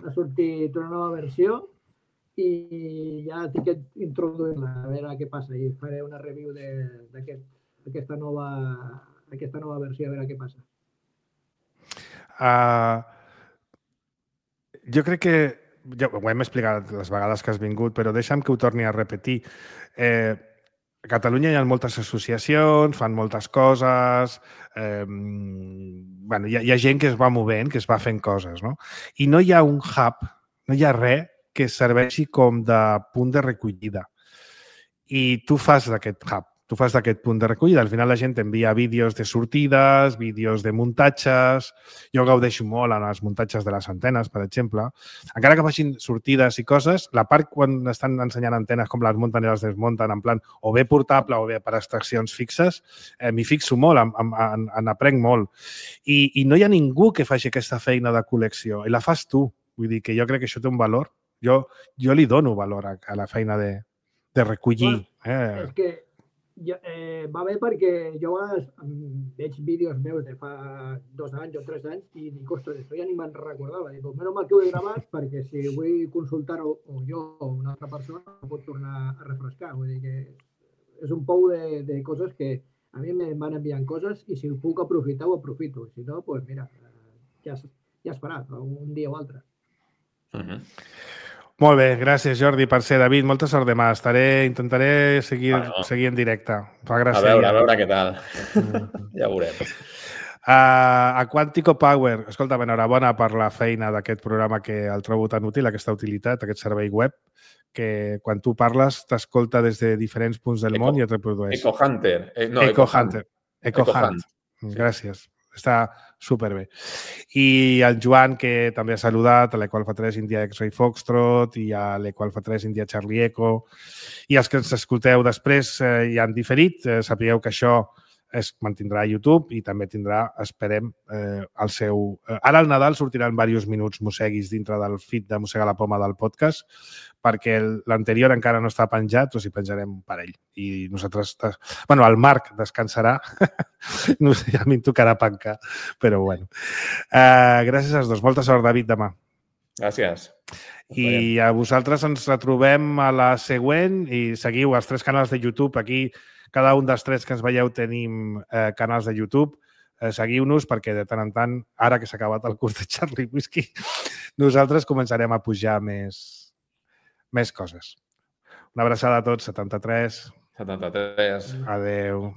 Ha sortit una nova versió i ja tinc que introduir-la, a veure què passa. I faré una review d'aquesta aquest, nova, aquesta nova versió, a veure què passa. Uh... Jo crec que, ja ho hem explicat les vegades que has vingut, però deixa'm que ho torni a repetir. Eh, a Catalunya hi ha moltes associacions, fan moltes coses, eh, bueno, hi, ha, hi ha gent que es va movent, que es va fent coses, no? I no hi ha un hub, no hi ha res que serveixi com de punt de recollida. I tu fas d'aquest hub, tu fas d'aquest punt de recollida. Al final la gent envia vídeos de sortides, vídeos de muntatges. Jo gaudeixo molt en els muntatges de les antenes, per exemple. Encara que facin sortides i coses, la part quan estan ensenyant antenes com les munten i les desmunten, en plan o bé portable o bé per extraccions fixes, eh, m'hi fixo molt, en, en, en aprenc molt. I, I no hi ha ningú que faci aquesta feina de col·lecció. I la fas tu. Vull dir que jo crec que això té un valor. Jo, jo li dono valor a, a la feina de, de recollir. Bueno, eh. És que Ja, eh, va bé perquè jo veig vídeos meus de fa dos anys o tres anys i dic, ostres, això ja ni me'n recordava. Dic, menys mal que ho he gravat perquè si vull consultar-ho o jo o una altra persona ho pot tornar a refrescar. Vull dir que és un pou de, de coses que a mi em van enviant coses i si ho puc aprofitar, ho aprofito. Si no, doncs mira, ja, ja es farà, un dia o altre. Uh-huh. Molt bé, gràcies Jordi per ser. David, molta sort demà. Estaré, intentaré seguir, bueno, seguir en directe. Fa gràcia. A veure, a veure què tal. Ja ho veurem. Uh, a Quantico Power, escolta, enhorabona per la feina d'aquest programa que el trobo tan útil, aquesta utilitat, aquest servei web, que quan tu parles t'escolta des de diferents punts del Eco, món i et reprodueix. Eco Hunter. Eh, no, Eco, Eco Hunter. Eco, Eco Hunt. Hunt. Gràcies. Està superbé. I el Joan, que també ha saludat, a l'Eco Alfa tres India X-Ray Foxtrot i a l'Eco Alfa tres India Charlie Eco. I els que ens escolteu després eh, ja han diferit. Eh, sapigueu que això es mantindrà a YouTube i també tindrà, esperem, eh, el seu... Eh, ara al Nadal sortiran diversos minuts mosseguis dintre del feed de Mossega la Poma del podcast, perquè l'anterior encara no està penjat, o si penjarem un parell. I nosaltres... Bueno, el Marc descansarà. No sé, a mi em tocarà pencar, però bueno. Eh, gràcies als dos. Molta sort, David, demà. Gràcies. I a vosaltres ens retrobem a la següent i seguiu els tres canals de YouTube. Aquí, cada un dels tres que ens veieu tenim eh, canals de YouTube. Eh, seguiu-nos perquè de tant en tant, ara que s'ha acabat el curs de Charlie Whisky, nosaltres començarem a pujar més, més coses. Una abraçada a tots. setanta-tres. setanta-tres. Adeu.